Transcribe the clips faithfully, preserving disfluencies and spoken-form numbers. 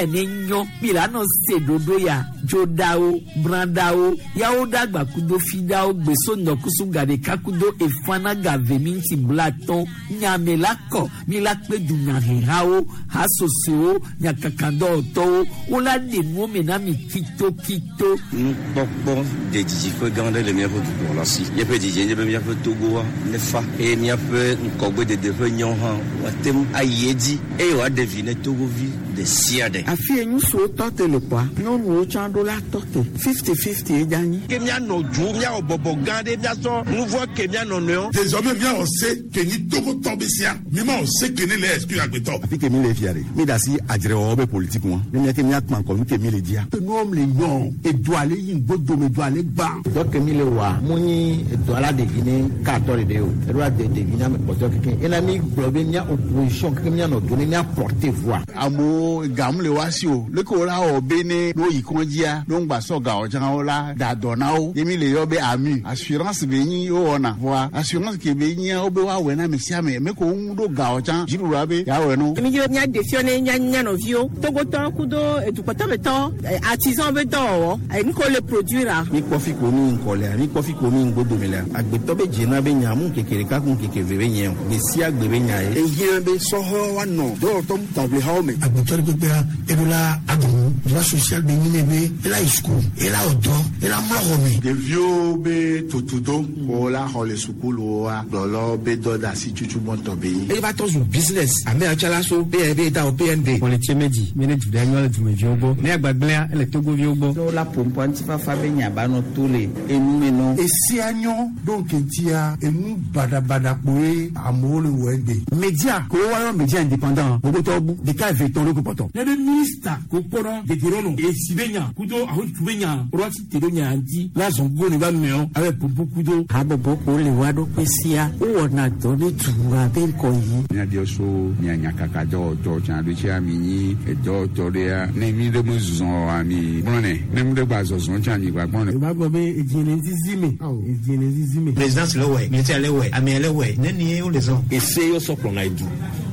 Miwɛ ne nyɔ mi la nɔ se ɖoɖo ya dzoɖawo brãɖawo yawo ɖagba kudo fiɖawo gbeso ŋdɔkusu gaɖeka kudo efana gave minti blatɔn nyame la kɔ mi la kpe dunyahehawo hasosowo nyakakadɔwɔtɔwo wola ɖe nuwo me na mi kitokito. Nukpɔkpɔ de dzidziƒe gã aɖe le míaƒe dukplɔla si. Míaƒe dzidzie nye be míaƒe Togoa nefa eye míaƒe ŋgɔgbedede ƒe nyawo hã woate ŋu ayi edzi eye wòaɖe vi ne Togovi ɖe sia ɖe. Afi ye ŋutsuwo tɔ te le kpɔa, nyɔnuwo tsã ɖo la tɔ te fifty fifty ye dza nyi. Ke míanɔ du míawɔ bɔbɔ gã ɖe míasɔ nu vɔ ke míanɔ nɔewo. Désormais míawɔ se ke nyi Togotɔ be sia mímawɔ se ke ne le exclure agbetɔ. Afi ke mi le fia ɖe mi da asi adzrewɔwɔ be politique ŋua ne míate míakpã ŋkɔ nu ke mi le dzia. Nuwo le nyɔ edu ale yi ŋgbodome du ale gbã. Dɔ ke mi le wɔa mu nyi edɔ la ɖevi ne katɔ ɖeɖe o eɖo ade ɖevi na ame kpɔtɔ keke ena mi gblɔ be mía opposition keke míanɔ do ne mía porter voix. Amewo gamu le wa si o leke wo la wɔ be ne no yi kɔndzia no ŋgba sɔ gawɔ tsã wo la da dɔ na wo ye mi le yɔ be AMU assurance be nyi wo wɔna voa assurance ke be nyia wo be woawɔe na ame sia ame me ko ŋu ɖo gawɔ tsã dziɖuɖua be yeawɔe no. Mi dzi be mía ɖe fiɔ ne mía mía nɔviwo Togotɔ kudo edukpɔtɔmetɔ artisan be dɔwɔwɔ nu ko le produire a. Mi kpɔ fi ko mi ŋkɔ lea mi kpɔ fi ko mi ŋgbodome lea agbetɔ be dzena be nya mu keke ɖeka ku keke ve be nye o gbe sia gbe be nya ye. Ehiã be sɔhɔ woanɔ dɔwɔtɔ taʋlihawo me. Agbetɔ ɖe kpekpea eɖo la aɖu droit social be nyi ne be ela yi sukulu ela wɔ dɔ ela mlɔ xɔ me. Ɖeviwo be tutudo wo la xɔ le sukuluwoa gblɔlɔ be dɔ de asi tutu gbɔntɔ be yi. Eye va tɔ zu business ame yawo tsã la so B N B da o B N B. Kpɔletse medzi mi ne du ɖe nyɔ le dumeviwo gbɔ ne agbagblẽa ele Togoviwo gbɔ. Ne wola ƒoƒo ŋutifafa be nya ba nɔ to le enume nɔ. Esia nyɔ ɖo ŋkeŋtia enu baɖabaɖa kpoe amewo le wɔ egbe. Média ko woayɔ média indépendant gbogbo bu ɖeka eve tɔn ɖo ko kpɔtɔ. Ne be minista ko kpɔnɔ deterɔnɔ esi be nya kudo ahotu be nya rɔti te ɖo nya dzi la zɔn go ne ba mɛɔ abe popo kudo. Habɔbɔ ko le wa ɖokui sia wowɔna dɔ ne dua be ŋkɔ yi. Míabiɔ so mia nyakaka dɔwɔtɔ tsã ɖo tsia mi nyi edɔwɔtɔ ɖea ne mi ɖe me zɔ ami gblɔnɛ ne mi ɖe gba zɔzɔ tsã mi gba gblɔnɛ. O b'a gbɔ be edzi zizi me edzi zizi me. Présidence le wɛ militaire le wɛ armée le wɛ neni ye wo le zɔn. Ese yɔ sɔ kplɔna edu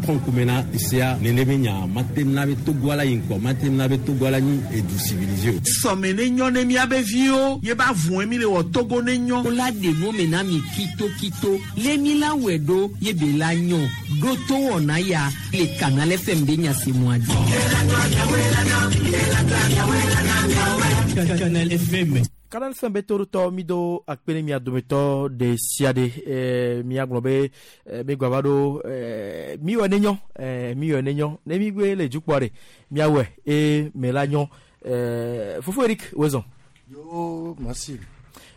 kɔnkume na esea nene be nya mate na be Togo la yi ŋkɔ mate na be Togo la nyi edu civilisé o. Sɔme ne nyɔ ne miabe viwo ye ba vɔn mi le wɔ Togo ne nyɔ. Wola ɖe nuwo me na mi kitokito lé mi la wɔe ɖo ye be la nyɔ ɖo to wɔna ya le Canal F M be nyasemua dzi. Canal F M. Canal F M be torotɔ mi do akpe ne mia dometɔ ɖe sia ɖe ɛɛ miagblɔ be ɛɛ mi gbava ɖo ɛɛ mi wɔ ne nyɔ ɛɛ mi wɔ ne nyɔ ne mi gbe le dukpɔ ɖe miawɔe eye me la nyɔ ɛɛ fofo Eric wezɔn. Yo, merci.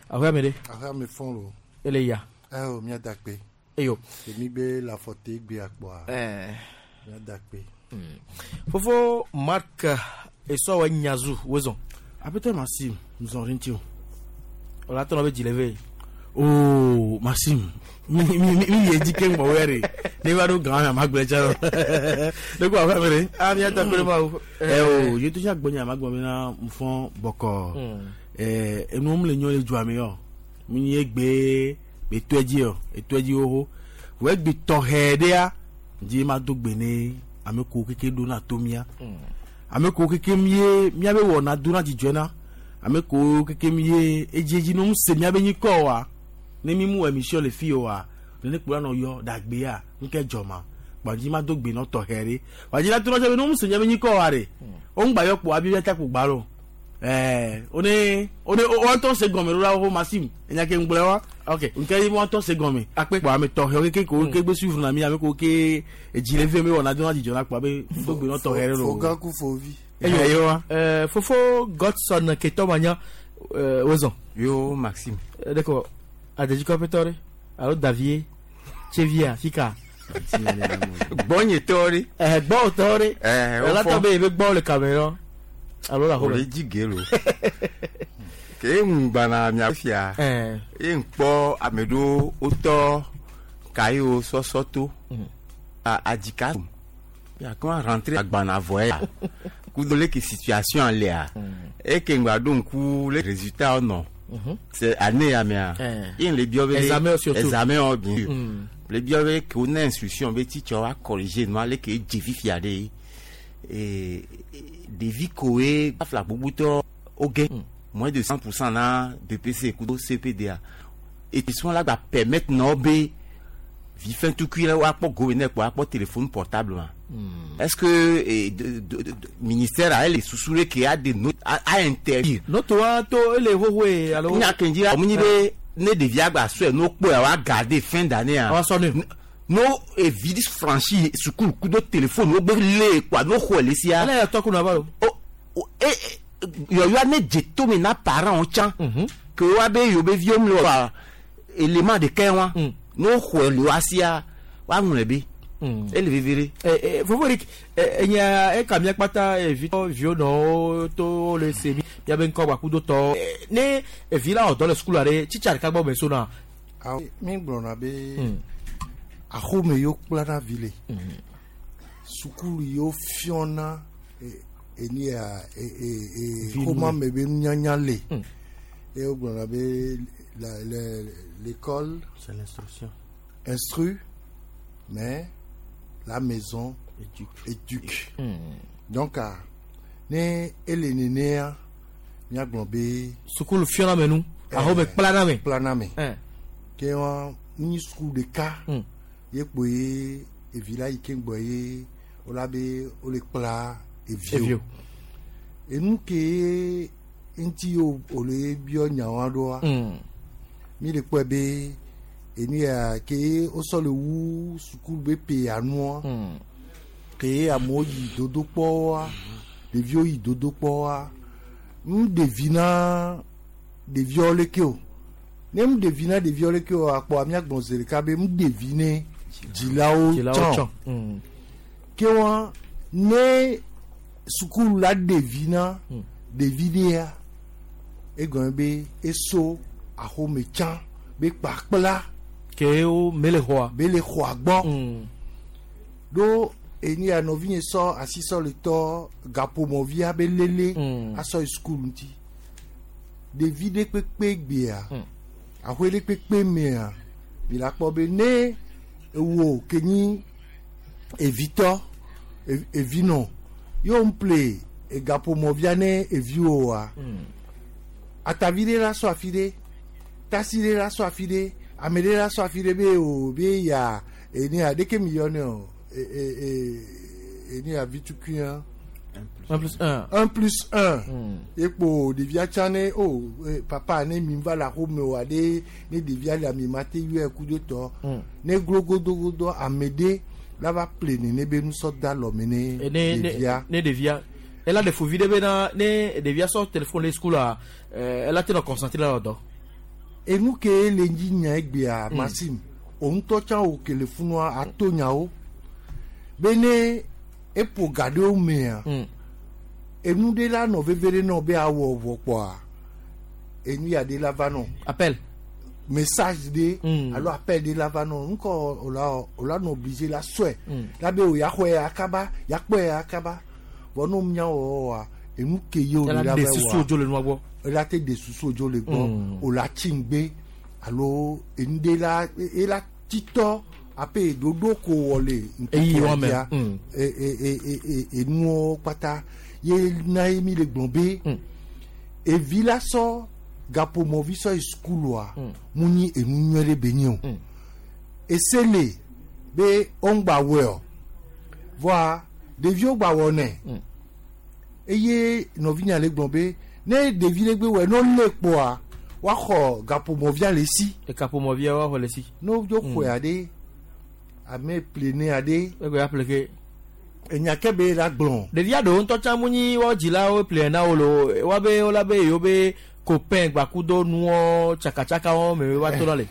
Ahoya me ɖe. Ahoya me fɔn lo. Ele ya. Ɛ o mia da kpe. Eyo. Èmi gbe la fɔte gbe akpɔa. Ɛɛ. Mia da kpe. Fofo Marc esɔwɔ nyazu wezɔn. Apɛtɛ Maxime, nous en o. Ola tɔnɔ be dzileve. Oh, Maxime, mi mi mi mi ye dzi ke ŋgbɔ wɛrɛ ne va ɖo gã ma gblẽ tsa ne ko aƒe me. Ah, mi ata kpe ma o. Ɛ o, yeto sia gbɔ nya ma gblɔ bena nfɔn bɔkɔ. Ɛ enuwo mu le nyɔ le dua me yɔ. Mi nye gbe be tɔe dzi yɔ, etɔe dzi xoxo. Wɔ egbe tɔxɛ ɖea, dzi ma do gbe ne ame ko keke ɖo na to mía. Ame ko keke mie míabe wɔna do na dzidzɔe na ame ko keke mie edziedzi ne ŋu se míabe nyikɔ wa ne mi mu émission le fi wa ne kplɔ nɔ yɔ dagbea ŋke dzɔma gbadzi ma do gbe nɔ tɔxɛ ɖe gbadzi la to nɔ be ne ŋu se míabe nyikɔ wa ɖe wo ŋgba yɔ kpo abi bia kpo gba lo ɛɛ one one wɔntɔ se gɔme ɖo la wo Maxime enya ke ŋgblẽ wa ok nke yi wɔntɔ se gɔme akpe kpo ame tɔxɛ keke ko ke gbe suivre na mi ame ko ke edzi le ve mi wɔna do na dzidzɔ na kpo abe do gbe nɔ tɔxɛ ɖe lo. Fogan ku fovi. Eyo wa ɛɛ fofo Godson ketɔ ma nya ɛɛ wezɔn. Yo Maxime. Ɖeko adedzikɔƒetɔ ɖe alo Davie Tsevia fika. Gbɔnyetɔ ɖe. Ɛɛ gbɔwòtɔ ɖe. Ɛɛ o fɔ. Ɛlátɔ be ebe gbɔ le kame yɔ alo le O le axome. dzi ge lo. Ke ŋugbana mia fia. Ɛɛ. Ye ŋkpɔ ame ɖewo wotɔ kayiwo sɔsɔ to. A adzika. Ya kɔn rentré agbana vɔ ya. Kudo leke situation lea. Eke ŋgba ɖo ŋku le résultat nɔ. C'est année ya mea. Eh. Ye le biɔ be Examen surtout. Examen bien sûr. Mm. Le biɔ be ke wo na instruction be teacher wa corriger nua leke edze fifia ɖe. Ee Ɖevi koe afla gbogbotɔ woge moins de cent pour cent na B P C kudo C P D A. Établissement la gba permettre na wo be vi fɛntukui la woakpɔ gome ne kpɔ akpɔ téléphone portable ma. Est-ce que eh, de, de, de, ministère a ele susu ɖe ke a de no a, a interdire. Noto wa to ele hohoe alo. Nya ke dzi la munyi be ne ɖevia gba sɔe no kpɔe wa garder fin d'année a. Wa sɔ ne. No evi franchi sukulu kudo téléphone wo gbe le kpɔa no xɔe le sia. Ele yɛ tɔ kunu aba lo. O o e yɔyɔa ne dze tome na parents tsã. Ke wa be yewo be viwo mle wa élément ɖeka wa. No xɔe le wa sia wa ŋlɔe be. Ele veve ɖe. Ɛ ɛ Fofo Eric ɛ enya eka mía kpata evi viwo nɔwo to le se mi miabe ŋkɔ gbakudo tɔ ne evi la wɔ dɔ le sukulu aɖe tsitsa ɖeka gbɔ me so na. Awo mi gblɔna be axome yiwo kplana vi le sukulu yiwo fiɔna eni ya e e e xɔma me be nunyanya le eye wo gblɔna be la la l'école. C'est l'instruction. Instruit, mais la maison éduque. Éduque. Mm. Donc, ah, ne ele nenea miagblɔ be. Sukulu fiɔna me nu. Aho me kplana me. Kplana me. Ke wa nyi sukulu ɖeka. Ye kpo ye evi la yi ke gbɔ ye wola be wole kpla eviwo. Enu ke ŋuti wòle biɔ nyawo ɖoa. Mi le kpɔe be enu ya ke wosɔ le wu sukulu be pe anua. Ke amewo yi dodokpɔwoa, ɖeviwo yi dodokpɔwoa. Nu ɖevi na ɖeviawo leke o. Ne nu ɖevi na ɖeviawo leke o akpɔ míagblɔ zi ɖeka be nu ɖevi ne dzilawo tsɔ. Ke wa ne sukulu la ɖevi na ɖevi ɖea, egɔme be eso axome tsã be kpakpla. Ke wo mele xɔa. Mele xɔa gbɔ. Ɖo eni ya nɔvinye sɔ asi sɔ le tɔ gaƒomɔvia be lele asɔ yi sukulu ŋuti. Ɖevi ɖe kpekpe gbea, aƒe ɖe kpekpe mea, mi la kpɔ be ne ewo ke nyi evitɔ, evinɔ, ye ŋple egaƒomɔvia ne eviwo wa. Atavi ɖe la sɔ afi ɖe, tasi ɖe la sɔ afi ɖe, ame ɖe la sɔ afi ɖe be o be ya eni ya ɖeke mi yɔ ne o. Eni ya vitukui. Un plus un. Un plus un. Ekpo ɖevia tsã ne o papa ne mi va le axome oa ɖe ne ɖevia le ami ma te yɔe ku ɖe tɔ. Ne glo godogodo ame ɖe la va ple nene be nusɔ da lɔme ne ɖevia. Ne ɖevia. Ela ɖe fovi ɖe bena ne ɖevia sɔ téléphone le sukulu ela te nɔ concentré la dɔ. Enu ke le dzi nya egbea Maxime o ŋutɔ tsã o ke le funua ato nyawo. Be ne eƒo ga ɖewo mea, enu ɖe la nɔ veve ɖe nɔ be awɔ vɔ kpɔa, enu ya ɖe la va nɔ. Appel. Message ɖe alo appel ɖe la va nɔ. Ŋkɔ o la o la nɔ obligé la sɔe. La be o ya xɔe ya kaba, ya kpɔe ya kaba. Vɔ ne mía wɔwɔ wa, enu ke ye o le la va wa. Ela de susu dzo le nua gbɔ. Ela te de susu dzo le gbɔ. O la tsi ŋgbe alo enu ɖe la ela titɔ. Ape dodo ko wɔ le ŋkekea enuwo kpata ye na ye mi le gblɔ be evi la sɔ gaƒomɔvi sɔ yi sukulua mu nyi enu nyuie ɖe be nye o. Ese le be woŋgba wɔe o vɔa ɖeviwo gba wɔ nɛ eye nɔvinya le gblɔ be ne ɖevi ɖe gbe wɔe ne wolé kpoa woaxɔ gaƒomɔvia le si. Gaƒomɔvia woaxɔ le si. Ne wodzo xɔe aɖe. Ame plene aɖe. Egbe ya ple ke. Enya ke be la gblɔ. Ɖevia ɖewo ŋutɔ tsã mu nyi woawo dzilawo ple na wo lo woabe wola be yewo be copain gbakudo nuwo tsakatsaka me woa to na le.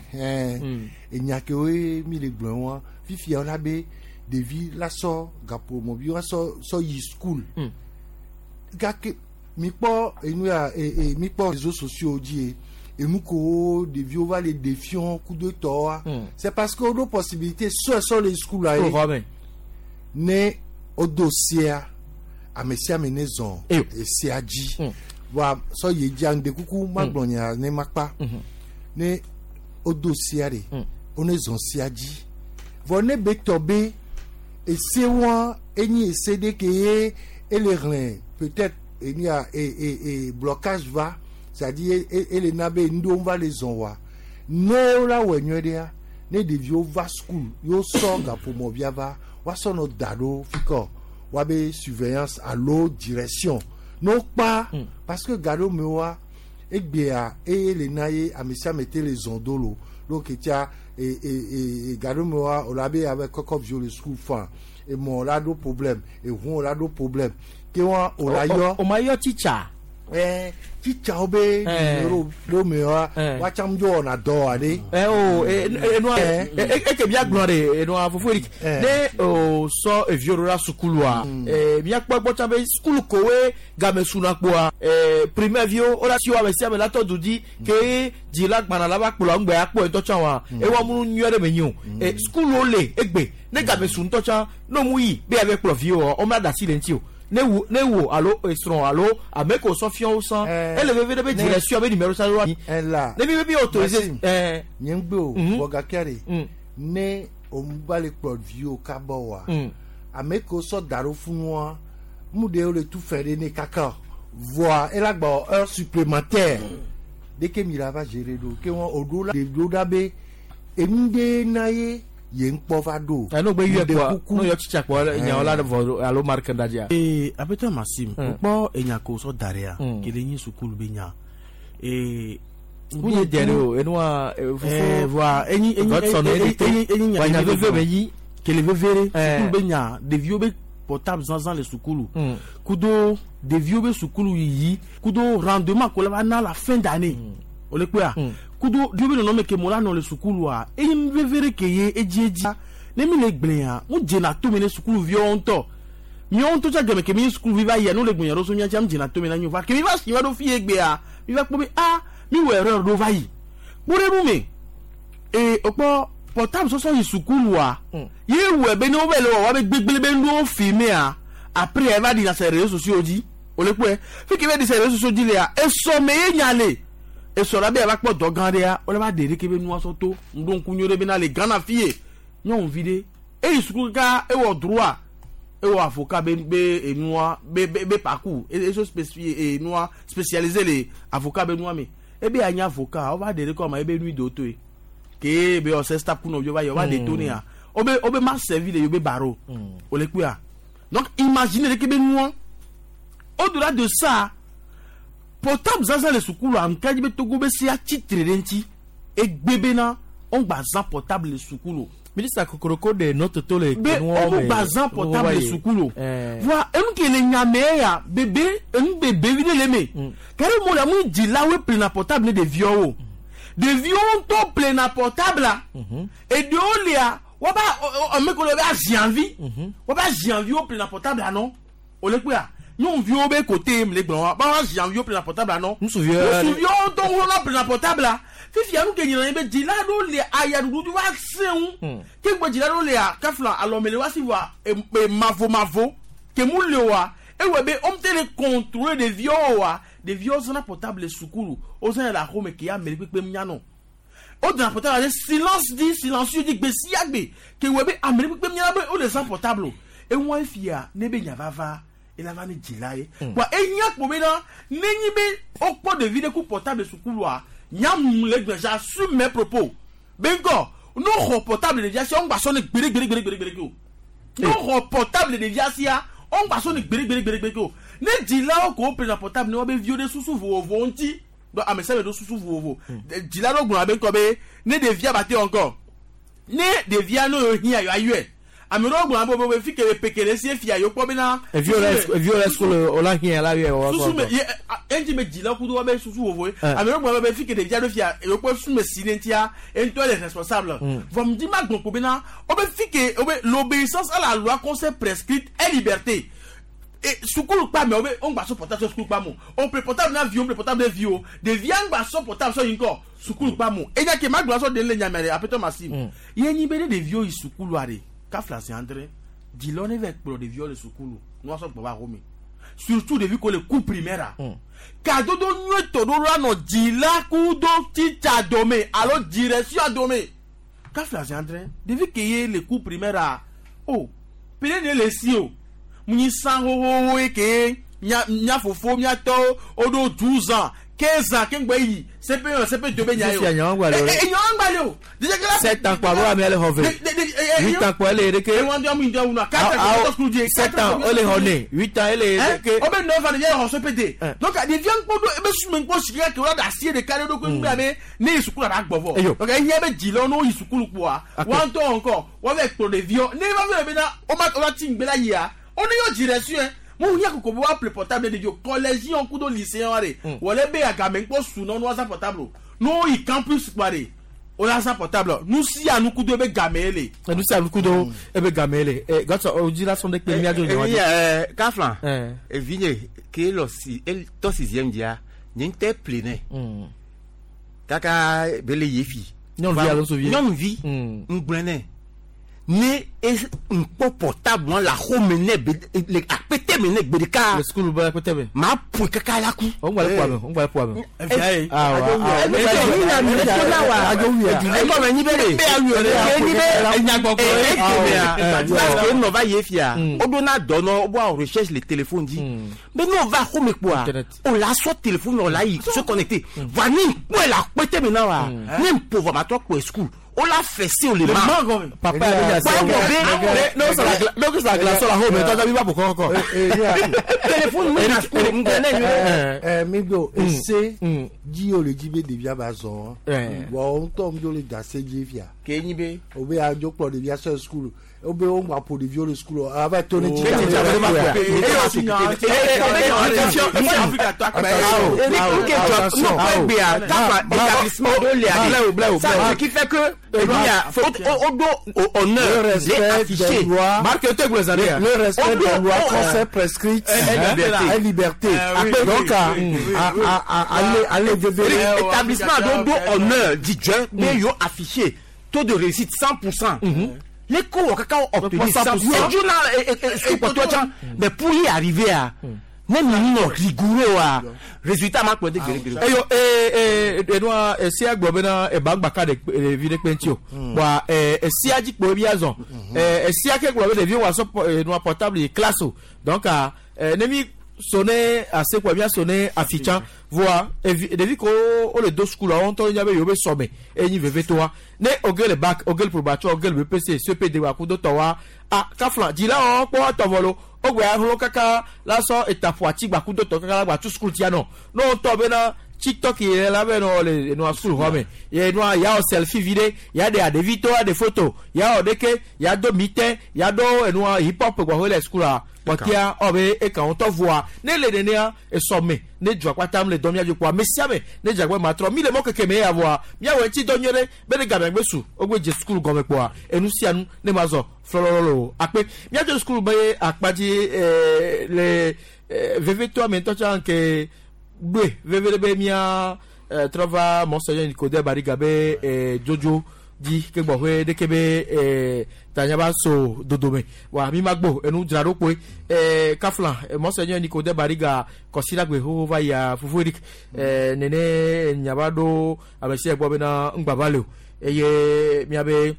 Enya ke woe mi le gblɔ wa fifia wola be ɖevi la sɔ gaƒomɔvi wa sɔ sɔ yi school. Gake mi kpɔ enu ya e e mi kpɔ réseaux sociaux dzi ye. Enu ko ɖeviwo va le défiant kudo tɔwa. C'est parce que woɖo possibilité sɔe sɔ le school la ye. Ne wodo sia ame sia ame ne zɔn esia dzi. Wa sɔ ye dzia ŋde kuku magblɔ nya ne makpa. Ne wodo sia ɖe wone zɔn sia dzi. Vɔ ne be tɔ be ese wa enyi ese ɖe ke ye Ele hlẽ peut-être enia e e e blocage va, c'est-à-dire ele na be ŋɖewo va le zɔn wa. Ne wo la wɔ nyuie ɖea, ne ɖeviwo va school, yewo sɔ gaƒomɔvia va, woasɔ nɔ da ɖo fi kɔ woabe surveillance alo direction. Ne wokpa, parce que ga ɖewo me woa, egbea eye le na ye ame sia ame te le zɔn do lo. Donc etia e e e ga ɖewo me woa, wòle abe abe kɔkɔ viwo le school fan, emɔ la ɖo problème, eʋu la ɖo problème. Ke wa wòle yɔ. O ma yɔ titsa. Ɛɛ titsawo be numéro ɖo me wa, woatsam dzo wɔna dɔ aɖe. Ɛ o enua eke mia gblɔ de enua fofo Eric ne o sɔ eviwo ɖo la sukulua ɛ miakpɔ gbɔ tsã be sukulu kowoe game suna kpoa ɛ primaire viwo wo la si wo ame sia ame la tɔ du dzi ke dzila gbana la va kplɔ ŋgbɛ akpɔ ŋutɔ tsã wa ewa mu nyuie ɖe me nyi o ɛ sukuluwo le egbe ne game su ŋutɔ tsã ne mu yi be yave kplɔ viwo wo ma da asi le ŋuti o. Ne wo ne wo alo esrɔ̃ alo ame ko sɔ fiɔ wo sã ele veve ɖe be direction be numéro sa wa la ne mi be mi autorisé ɛɛ nye ŋgbe o bɔ gake ɖe ne o va le kplɔ viwo kaba wa ame ko sɔ da ɖo funua mu ɖe wo le tu fɛ ɖe ne kaka voa ela gbɔ heure supplémentaire deke mi la va gérer ɖo ke wɔn o ɖo la ɖo ɖa be enu ɖe na ye ye ŋkpɔ va ɖo. Ɛ n'o gbe yɔ kpɔ n'o yɔ tsitsa kpɔ nyawo la vɔ alo marque da dzia. Ee apɛtɔ Maxime o kpɔ enya ko sɔ da ɖea kele nyi sukulu be nya ee. Wunye dɛ de o enua fofo. Ɛɛ voa enyi enyi enyi enyi nya nya veve be nyi. Kele veve ɖe sukulu be nya ɖeviwo be portable zanzan le sukulu kudo ɖeviwo be sukulu yiyi kudo rendement ko la va na la fin d'année o le kpɔa. Kudo ɖeviwo be nɔnɔme ke mo la nɔ le sukulua eyi nu veve ɖe ke ye edzi edzi ne mi le gblẽa mu dzena tome ne sukuluviwo ŋutɔ miawo ŋutɔ tsa gɛmɛ ke mi sukuluvi va yia ne wole gblẽ ɖo so mia tsa mi dzena tome na nyo va ke mi va si va ɖo fi ye gbea mi va kpɔ be a mi wɔ erreur ɖo va yi kpɔ ɖe nu me ee okpɔ portable sɔsɔ yi sukulua ye wɔ be ne wo va le wɔ wa be gbegble be nuwo filmea après eva ɖi na se réseaux sociaux dzi o le kpɔe fi ke va ɖi se réseaux sociaux dzi lea esɔme ye nya le. Esɔra be ava kpɔ dɔ gã ɖea wole va ɖe ɖeke be nua sɔ to ŋɖo ŋku nyuie ɖe bena le Ghana fi ye nyɔnuvi ɖe eyi sukulu kaka ewɔ droit ewɔ avocat be be enua be be be parcours eso spécifié enua spécialisé le avocat be nua me ebe anyi avocat wova ɖe ɖe kɔ ma ebe nui do toe ke be ɔsɛ stap kunɔ vi va yi wova ɖe to nea wobe wobe ma servi le yobe barreau wole kpɔa donc imaginez ɖeke be nua au-delà de ça. Portable zazan le sukulu ankaji be Togo be se atitre ɖe ŋuti egbe bena wogba zã portable le sukulu. Ministre kokoroko de notre to le. Be wogba zã portable le sukulu. Voa enu ke le nyame ya bebe enu bebe vi ɖe le me. Kari mo la mu dzilawoe ƒlena portable ne ɖeviawo. Ɖeviwo ŋutɔ ƒlena portable la. Eɖewo lia woba ame ko le be aziãvi. Woba aziãviwo ƒlena portable la nɔ. Wole kpɔa. Nyɔnuviwo be côté me le gblɔ wa ba aziãviwo ƒlena portable la nɔ. Ŋutsuviwo. Ŋutsuviwo ŋutɔ wona ƒlena portable la. Fifia nu ke nyina ye be dzila ɖewo le ayaɖuɖu va sẽ ŋu. Ke ŋgbɛ dzila ɖewo lea kafla alɔme le wa si voa e mavomavo ke mu le oa ewɔ be wo te le contrôler ɖeviwo oa ɖeviwo zãna portable le sukulu wo zãna le axome ke ame ɖe kpekpe nyanɔ. Wo dana portable ɖe silence di silencieux di gbe sia gbe ke wɔ be ame ɖe kpekpe nyana be wo le zã portable o. Eŋua fia ne be nya vava ela va ne dzila ye. Wa enya kpo bena nenyi be wokpɔ ɖevi ɖe ku portable sukulua nyamu le gblẽ j'assume mes propos benko no xɔ portable ɖevia sia wogba sɔ ne gbeɖe gbeɖe gbeɖe gbeɖe gbeɖe o no xɔ portable ɖevia sia wogba sɔ ne gbeɖe gbeɖe gbeɖe gbeɖe o ne dzilawo ko ƒlena portable ne woabe viwo ɖe susu vovovowo ŋuti donc ame sia ame ɖo susu vovovo dzila ɖewo gblɔna be ŋkɔ be ne ɖevia ba te wɔ ŋkɔ ne ɖevia no hiã yewoa yɔe ame ɖewo gblɔna be be fi ke peke ɖe sie fia yewo kpɔ bena. Eviwo le eviwo le sukulu o la hiã la yɔe wɔ. Susu me ye eŋuti me dzilawo kudo woabe susu vovovoe ame ɖewo gblɔna be fi ke ɖevia ɖo fia yewo kpɔ susu me si ne ŋutia eŋutɔ le responsable. Vɔ ŋdi ma gblɔ ko bena wobe fi ke wobe l'obéissance à la loi qu'on s'est prescrite est liberté. Et sukulu kpa me wobe wogba sɔ portable sɔ sukulu kpa mo o ƒle portable na viwo ƒle portable na viwo ɖevia ŋgba sɔ portable sɔ yi ŋkɔ sukulu kpa mo enya ke ma gblɔ sɔ de le nyame ɖe apɛtɔ Maxime ye nyi be ne ɖeviwo yi sukulua ɖe kafla zi andre dzilawo ne va kplɔ ɖeviwo le sukulu ne woasɔ gbɔ va xɔme surtout ɖevi ko le cours primaire kadodo nyuietɔ ɖo la nɔ dzila kudo titsa dome alo direction dome kafla zi andre ɖevi ke ye le cours primaire o pele ne le si o. Mu san hohoho ke mia mia fofo mia tɔwo woɖo douze ans quinze ans ke ŋgbɛ yi CP un CP deux bɛ nya ye o. Fifia nyawo gba le o. E e nyawo gba le o. Déjà que la Sept ans kpɔ abo ame le xɔ ve. Huit ans kpɔ ele ɖeke. E wɔn dɔ mu dɔ wuna. Quatre ans kɔ sukulu die. Sept ans ele xɔ ne. Huit ans ele ɖeke. O bɛ neuf ans ɖevia xɔ CP deux. Donc ɖevia ŋkpɔ do ebe sume ŋkpɔ si keke wòle asi ɖeka ɖe ɖokui ŋgbɛ be ne yi sukulu la gbɔ vɔ. Eyo. Donc ehiã be dzilawo ne wo yi sukulu kpoa wɔn ŋutɔ encore wɔn vɛ kplɔ ɖeviwo ne va fɛ bena wo ma wo va ti ŋgbe la yia wo ne yɔ dzi ɖe su yɛ mo hiã koko be woaƒle portable ɖe ɖeviwo collège kudo lycée wa de wòle be agame ŋkpɔ su nɔ nu zã portable o ne wo yi campus kpoa de wo la zã portable nu sia nu kudo ebe game ye le. Nu sia nu kudo ebe game ye le. Ɛ gɔtɔ o dzi la sɔn de kpe miadzo nyawo dzi. Ɛɛ kaflan evi nye ke lɔ si tɔ sixième dzia nye ŋutɔ ple nɛ kaka be le yefi. Nyɔnuvi alo ŋutsuvi. Nyɔnuvi ŋgblẽ nɛ ne ŋkpɔ portable wɔn le axome nɛ be le akpɛtɛ me nɛ gbe ɖeka. Le sukulu be akpɛtɛ me. Maa ƒoe kaka la ku. O ŋgba le ƒoa me o ŋgba le ƒoa me. Ekɔme nyi be de ke nyi be parce que nɔ va ye fia o donna dɔ nɔ o bɔ recherche le téléphone dzi mais n'o va xɔme kpoa o la sɔ téléphone o la yi se connecter va ni kpɔe le akpɛtɛ me na wa ne ƒo vɔ ma trɔ kpɔe sukulu o la fessé o le ma. Papa yɛ bɛ nya se n'o kɛ sa glace la xɔme tɔjɔ bi ba bɔ kɔkɔ. Téléphone mi na sukulu ŋgbɛ ne nyuie. Ɛ mi do ese dzi o le dzi be ɖevia ba zɔn wa ŋutɔ mi do le da se dzi fia. Ke nyi be. O be adzo kplɔ ɖevia sɔ sukulu o be o ŋgba ƒo ɖeviwo le sukulu ava to ne dzi. Ce qui fait que o do honneur les affiché. Le respect des lois françaises prescrites est liberté. Donc allez établissement do do honneur dzidzɔ be yo affiché taux de réussite cent pour cent. Les cours kaka obtenir cent pour cent. Mais pour y arriver à ne mi nɔ rigoureux wa résultat ma kplɔ de gbeɖegbeɖe. Eyo ee ee enua esia gblɔ bena eba gbaka ɖe ɖevi ɖe kpe ŋuti o. Bɔn ɛɛ esia dzi kpo ebi azɔ. Ɛɛ esia ke gblɔ be ɖevi wa sɔ enua portable yi classe o. Donc ɛɛ ne mi sonné ase kpo mia sonné afitsa voa evi ɖevi ko wo le do sukulu wo ŋutɔ nya be yewo be sɔme enyi vevetoa ne oge le bac oge le probation oge le BPC CPD wa kudo tɔ wa a kafla dzilawo kpɔ tɔvɔ lo wogbe ahlo kaka la sɔ etaƒo ati gba kudo tɔ kaka la gba tu sukulu tia nɔ ne wo ŋutɔ bena TikTok yɛ la bɛ nɔ le nua sukulu xɔ me yɛ nua ya wɔ selfie vi ɖe ya ɖe aɖevi to ya ɖe photo ya wɔ ɖeke ya do mite ya do enua hip hop gbɔƒe le sukulua kpɔtia ɔbe eka ŋutɔ voa ne le nenea esɔme ne dua kpata le dɔ miadzo kpoa ame sia ame ne dzagbe ma trɔ mi le mɔ keke me ya voa miawɔ ŋuti dɔ nyuie ɖe be ne game gbe su wogbe dze sukulu gɔme kpoa enu sia nu ne ma zɔ flɔlɔlɔ akpe miadzo sukulu be akpa dzi ɛɛ le ɛɛ vevetoa me ŋutɔ tsã ke gbe veve ɖe be mia ɛɛ trɔ va mɔsɔnyɛ Nicodème Bariga be ɛɛ dzodzo dzi ke gbɔƒe ɖeke be ɛɛ tanya ba so dodome wa mi ma gbo enu dzra ɖo kpoe ɛɛ kafla mɔsɔnyɛ Nicodème Bariga kɔsiɖagbe xoxo va yia fufu Eric ɛɛ nene nyaba ɖo ame sia gbɔ bena ŋgbava le o eye miabe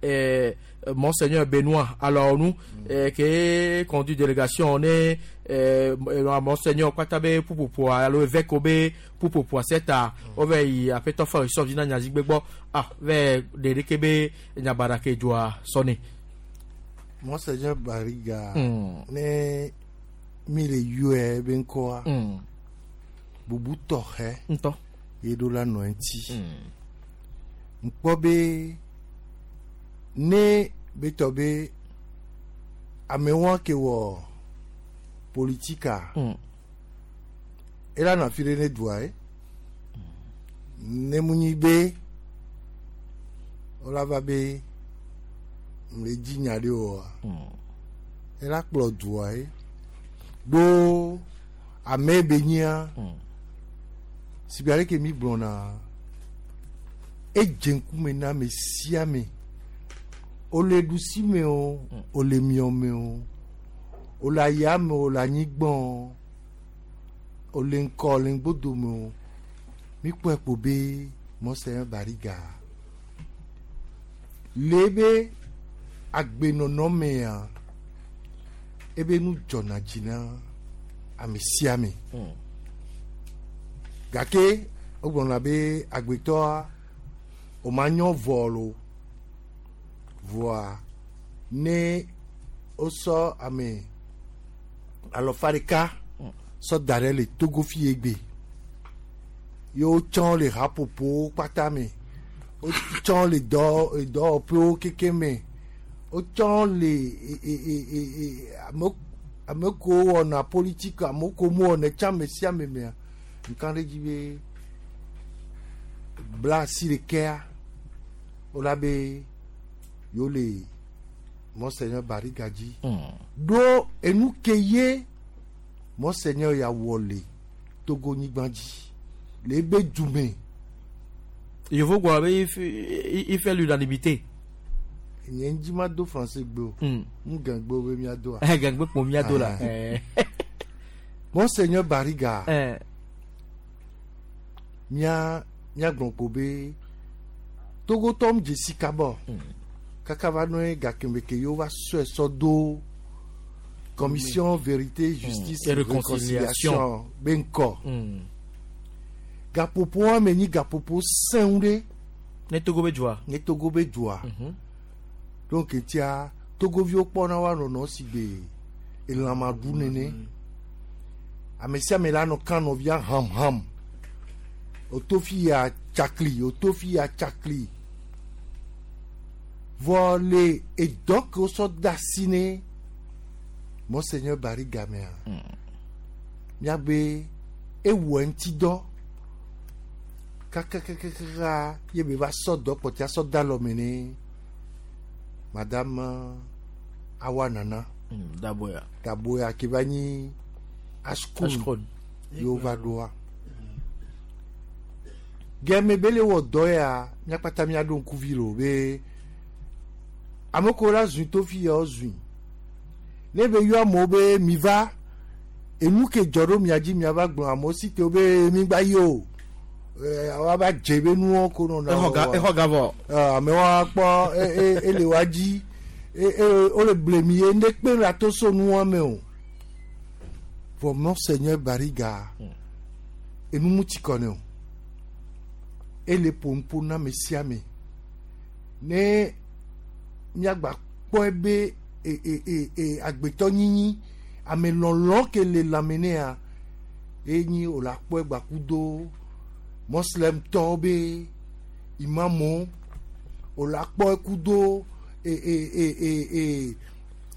ɛɛ Monseigneur Benoît Alaonou mm. qui conduit délégation on est euh, Monseigneur Kwatabe Poupopoa alo évêque Obe Poupopoa c'est à ove yi apeto fa so vina nyazigbe gbo ah ve de kebe nyabara ke joa sonné Monseigneur Bariga ne mi le yue ben ko bubu tohe nto yedo la no enti nkpo be ne betɔ be amewo ke wɔ politika ela nɔ afi ɖe ne dua ye ne mu nyi be wola va be le dzi nya ɖe oa ela kplɔ dua ye ɖo ame be nyia si be aleke mi gblɔna edze ŋkume na ame sia ame. Ole ɖusi me o, ole miɔ me o, ole aya me o, ole anyigba o, ole ŋkɔ, ole ŋgbodo me o. Mi kpɔe kpo be Monseigneur Bariga le be agbenɔnɔ mea, Ebe nu dzɔna dzi na ame sia ame. Gake wogblɔna be agbetɔa o ma nyɔ vɔ lo. Vɔa ne wosɔ ame alɔfa ɖeka sɔ da ɖe le Togo fi egbe. Ye wotsɔ le haƒoƒowo kpata me. Wotsɔ le dɔ dɔwɔƒewo keke me. Wotsɔ le e e e e e ame ame kewo wɔna politiki ame kewo mewɔnɛ tsã ame sia ame mea ŋka ɖe dzi be bla asi ɖekea wola be yewo le Monseigneur Bariga dzi. Ɖo enu ke ye Monseigneur ya wɔ le Togo nyigba dzi le ebe dume. Yevo gblɔ be il fait- il fait l'unanimité. Nye ŋdzi ma do français gbe o. Ŋu gãgbe wo be mía doa. Gãgbe kpo mía do la. Ah. Monseigneur Bariga. Mía mía gblɔ ko be Togotɔ mu dzesi kaba kaka va nɔ gake ke yewo va sɔe sɔ do commission vérité justice Et réconciliation. réconciliation be ŋkɔ. Gaƒoƒo ame nyi gaƒoƒo sẽŋu ɖe. Ne Togo be dzoa. Ne Togo be dzoa. Donc etia Togoviwo kpɔna woa nɔnɔ si gbe elãmaɖu nene. Ame sia ame la nɔ kan nɔvia ham ham. Oto fi ya tsakli, oto fi ya tsakli. Vɔ le edɔ ke wosɔ de asi ne Monseigneur Bariga mea, míagbe ewɔ eŋuti dɔ kakakakaka ye be va sɔ dɔ kpɔtɛa sɔ de alɔme ne Madame Awa Nana. Daboya. Daboya ke va nyi Ashkun. Ashkun. Ye wova ɖoa. Gɛmɛ be le wɔ dɔ ya míakpata míaɖo ŋkuvi lo be ame kewo la zui to fi ya wo zui. Ne be yɔ amewo be mi va enu ke dzɔ ɖo mia dzi miava gblɔ amewo si te wo be mi gba yi o. Ɛ woava dze be nuwo ko nɔna. Exɔ ga- exɔ ga vɔ. Ɛ amewo akpɔ e e ele wa dzi e e wole blemi ye ŋɖe kpe la to so nua me o. Vɔ Monseigneur Bariga enu mu tsi kɔ ne o. Ele ƒo na ame sia ame. Ne míagba kpɔe be e e e e agbetɔ nyinyi ame lɔlɔ ke le lãme nea enyi wòle akpɔe gbakudo moslemtɔwo be imamu wòle akpɔe kudo e e e e e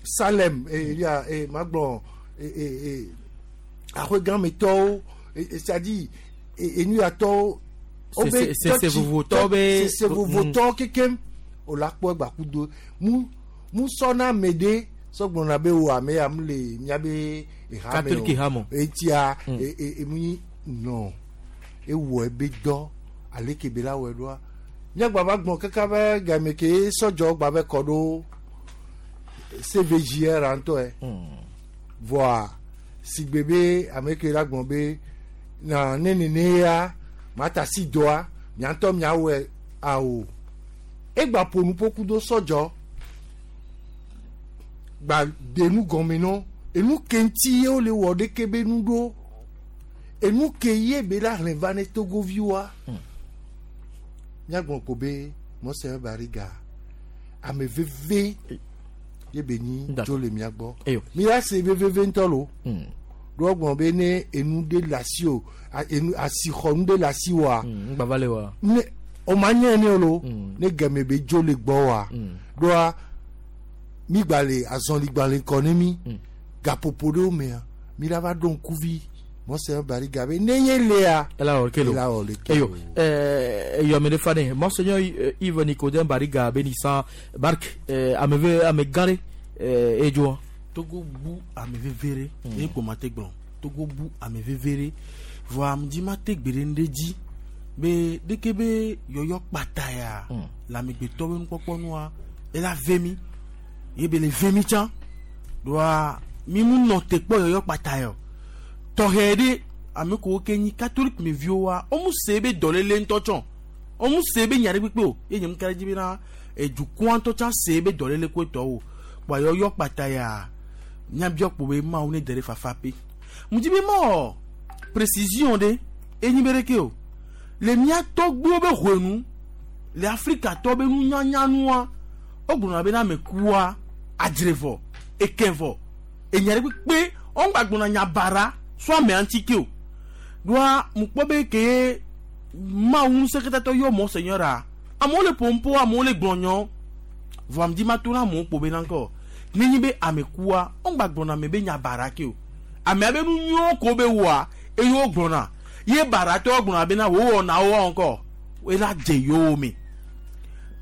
Salem e ya e magblɔ e e e aƒegãmetɔwo e e c'est-à-dire e enuyatɔwo Se- se- se vovotɔwo be- sese vovotɔwo kekem wòle akpɔe gbakudo mu mu sɔna ame ɖe sɔgblɔna be wo ame ya mu le miabe eha me Catholique ha me o. etia e e emu nyi nɔ ewɔ ebe dɔ ale ke be la wɔe ɖoa míagba va gbɔn kaka be game ke sɔdzɔ gba be kɔ ɖo CVJR ŋutɔe vɔa sigbe be ame ke la gblɔ be na ne nene ya mata si dɔa mia ŋutɔ miawɔe awo egba ƒo nu ƒo ku do sɔdzɔ gba de nu gɔme nɔ enu ke ŋuti ye wole wɔ ɖeke be nu ɖo enu ke ye be la hlẽ va ne togoviwoa míagblɔ ko be Monseigneur Bariga ame veve ye be nyi tso le mía gbɔ mi ya se be veve ŋutɔ lo ɖo gblɔ be ne enu ɖe le asi o a- enu asixɔ nu ɖe le asi woa ŋgbava le wa. ne o ma nye ne lo ne gɛmɛ be dzo le gbɔ wa ɖoa mi gba le azɔligbalẽ kɔ ne mi gaƒoƒo ɖewo mea mi la va ɖo ŋkuvi Monseigneur Bariga be ne ye lea Ela wɔ ke lo. ela wɔ le ke Eyo, eh, eyo ame ɖe fa ne Monseigneur eh, Yves Nicodème Bariga Bénissant Bark eh, ame ve ame gã ɖe eh, edzoa. Togo bu ame veve ɖe ye kpo ma te gblɔ Togo bu ame veve ɖe vɔa ŋdi ma te gbe ɖe ŋɖe dzi be ɖeke be yɔyɔ kpata ya le amegbetɔ be nukpɔkpɔ nua ela ve mi ye be le ve mi tsã ɖoa mi mu nɔ te kpɔ yɔyɔ kpata ya o tɔxɛ ɖe ame kewo ke nyi catholique me viwo wa wo mu se be dɔléle ŋutɔ tsɔ wo mu se be nya ɖe kpekpe o ye nye mu ka ɖe dzi bena edukɔa ŋutɔ tsã se be dɔléle koe tɔwo kpoa yɔyɔ kpata ya Miabiɔ kpo be Mawu ne de ɖe fafa pe. Mu di be mɔ précision ɖe enyi be ɖeke o. Le mía tɔgbuiwo be hwenu le Afrika tɔ be nunyanyanua wogblɔna be na ame kua adzre vɔ eke vɔ enya ɖe kpekpe wogba gblɔna nya bara so amea ŋuti ke o. Ɖoa mu kpɔ be ke Mawu ŋusẽkatãtɔ yɔ Monseigneur a amewo le ƒom amewo le gblɔ nyɔ vɔ ame dzi ma to na amewo kpo be na ŋkɔ nenye be ame kua wogba gblɔna ame be nya bara ke o. Amea be nu nyuiwo ko be wɔa eye wogblɔna ye baratɔwo gblɔna bena wowɔna wo ŋkɔ ela dze yewo me.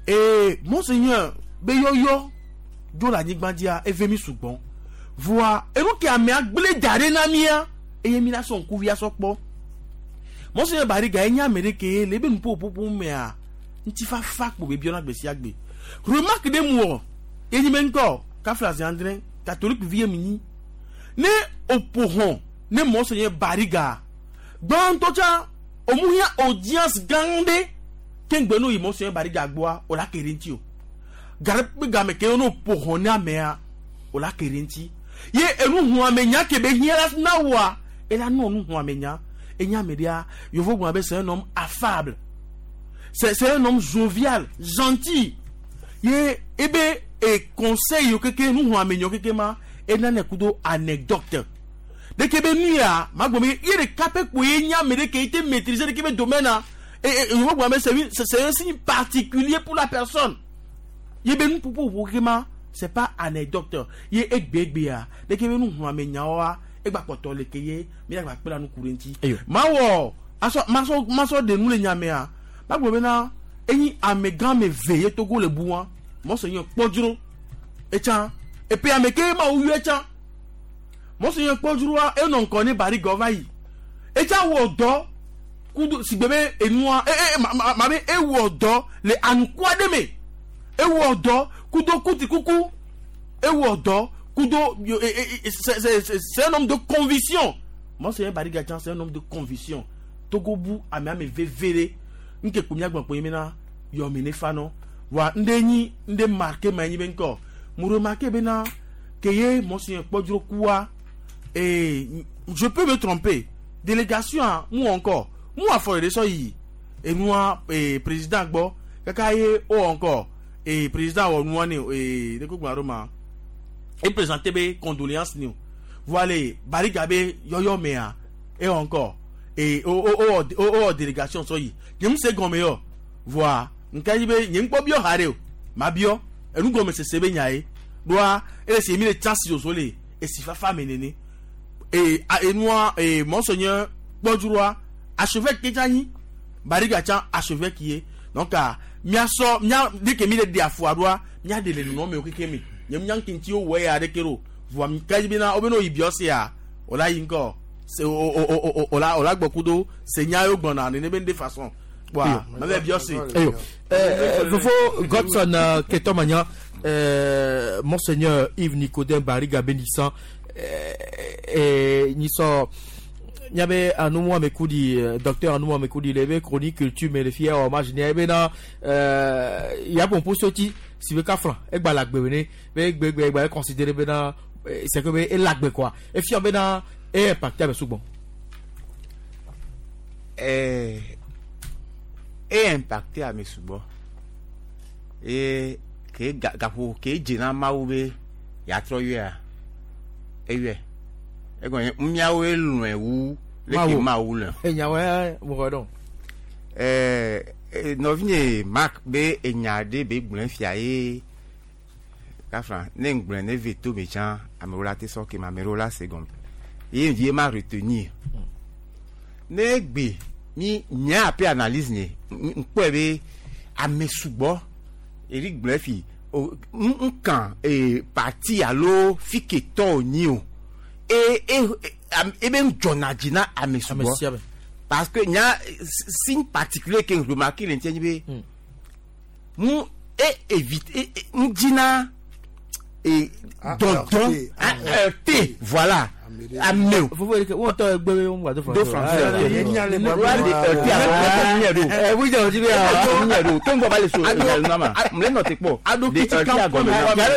Ee Monseigneur be yɔyɔ dzo le anyigba dzia eve mi sugbɔ voa enu ke amea gblẽ da ɖe na mía eye mi la sɔ ŋkuvi asɔ kpɔ. Monseigneur Bariga enye ame ɖe ke le ebe nuƒoƒoƒo mea ŋutifafa kpo be biɔna gbe sia gbe. Remarque ɖe mu wɔ enyi be ŋkɔ kafla zi adre catholique vi ye mi nyi ne oƒo hɔn ne Monseigneur Bariga gbãtɔ tsa omu hiã audience gã ɖe ke ŋgbe no yi Monseigneur Bariga gbɔa o la ke ɖe ŋuti o. Gare kpe game ke no ƒo hɔn ne amea o la ke ɖe ŋuti ye enu hu ame nya ke be hiã la na woa ela nɔ nu hu ame nya enye ame ɖea yevu gblɔna be c'est un homme affable, c'est c'est un homme jovial, gentil ye ebe e conseil yo keke nu hu ame nya keke ma enane kudo anecdote deke be nu ya ma gbɔ be ye ɖeka pe kpo ye nye ame ɖe ke te maîtriser ɖeke be domaine a e e yevu gblɔna be c'est c'est un signe particulier pour la personne ye be nu ƒoƒo keke ma c'est pas anecdote ye egbegbea deke be nu hu ame nyawoa egba kpɔtɔ le ke ye mi gba kpe la nu ku ɖe ŋuti mawɔ asɔ masɔ masɔ de nu le nyamea ma gblɔ bena enyi amegã me ve ye Togo le bu wa Monseigneur kpɔdzro etsã epe ame ke ma wo yɔ etsã Monseigneur kpɔdzroa enɔ ŋkɔ ne Bariga va yi etsã wɔ dɔ kudo sigbe be enua e e ma ma ma be ewɔ dɔ le anukua ɖe me ewɔ dɔ kudo kuti kuku ewɔ dɔ kudo c'est c'est un homme de conviction. Monseigneur Bariga tsã c'est un homme de conviction. Togo bu ame ame veve ɖe nke kpo miagblɔ kpo yi bena yɔmi ne fa nɔ wa ŋɖe nyi ŋɖe marqué ma nyi be ŋkɔ mu remarqué bena ke ye Monseigneur kpɔdzro kua ee je peux me tromper délégation a mu encore mu afɔ ɖe sɔ yi enua ee président gbɔ kaka ye o encore ee président wɔ nua ne ee ne ko gblɔ ɖo ma e présenté be condoléance ni o voilà Bariga be yɔyɔ mea e encore ee o o o o o délégation sɔ yi nye mu se gɔme yɔ voa nka yi be nye ŋkpɔ biɔ ha ɖe o ma biɔ enu gɔme sese be nya ye ɖoa ele si mi le chance zozo le esi fafa me nene ee enua ee Monseigneur kpɔdzroa archevêque ke tsa nyi Bariga tsa archevêque ye donc a miasɔ mia de ke mi le de afɔa ɖoa mia de le nunɔ me o keke me nye nya ŋkenti wo wɔ ya ɖeke ɖo voa nka yi bena wo be no yi biɔ sea o la yi ŋkɔ se o o o o o la o la gbɔ kudo se nya yo gbɔna nene be de façon wa ma bɛ biɔ se. Eyo Fofo Godson Ketomania Monseigneur Yves Nicodème Bariga Bénissant nisɔ nyabe anu amekudi docteur anu amekudi le be chronique culture mais le fier hommage ne be na ya bon pour sorti si be ka franc e gba la gbe ne be gbe gbe gba considérer be na c'est que be e la gbe quoi et fier be na e impacté avec souvent eh e impacté ame sugbɔ e ke gaƒo ke dze na Mawu be yeatrɔ yɔea eyɔe egɔme míawoe lɔ̃e wu leke Mawu lɔ̃e. Enyawoe mo xɔ dɔn. Ɛɛ nɔvinye Mark be enya ɖe be gblɔe fia ye kafra ne ŋgblɔe ne ve to me tsã amewo la te sɔ ke me amewo la se gɔme ye vie ma retenir ne gbe mi nye ape analyse nye ŋkpɔe be ame sugbɔ eri gblɔe fi o nkan ee parti alo fi ke tɔ wònyi o e e e be ŋdzɔna dzi na ame sugbɔ parce que nya signe particulier ke remarqué le ŋuti nye be mu e évite e ŋdzina e dɔdɔn heurté voilà Ame o. Fofo erike wọn tọ egbe wọn gba do Do français. Yàrá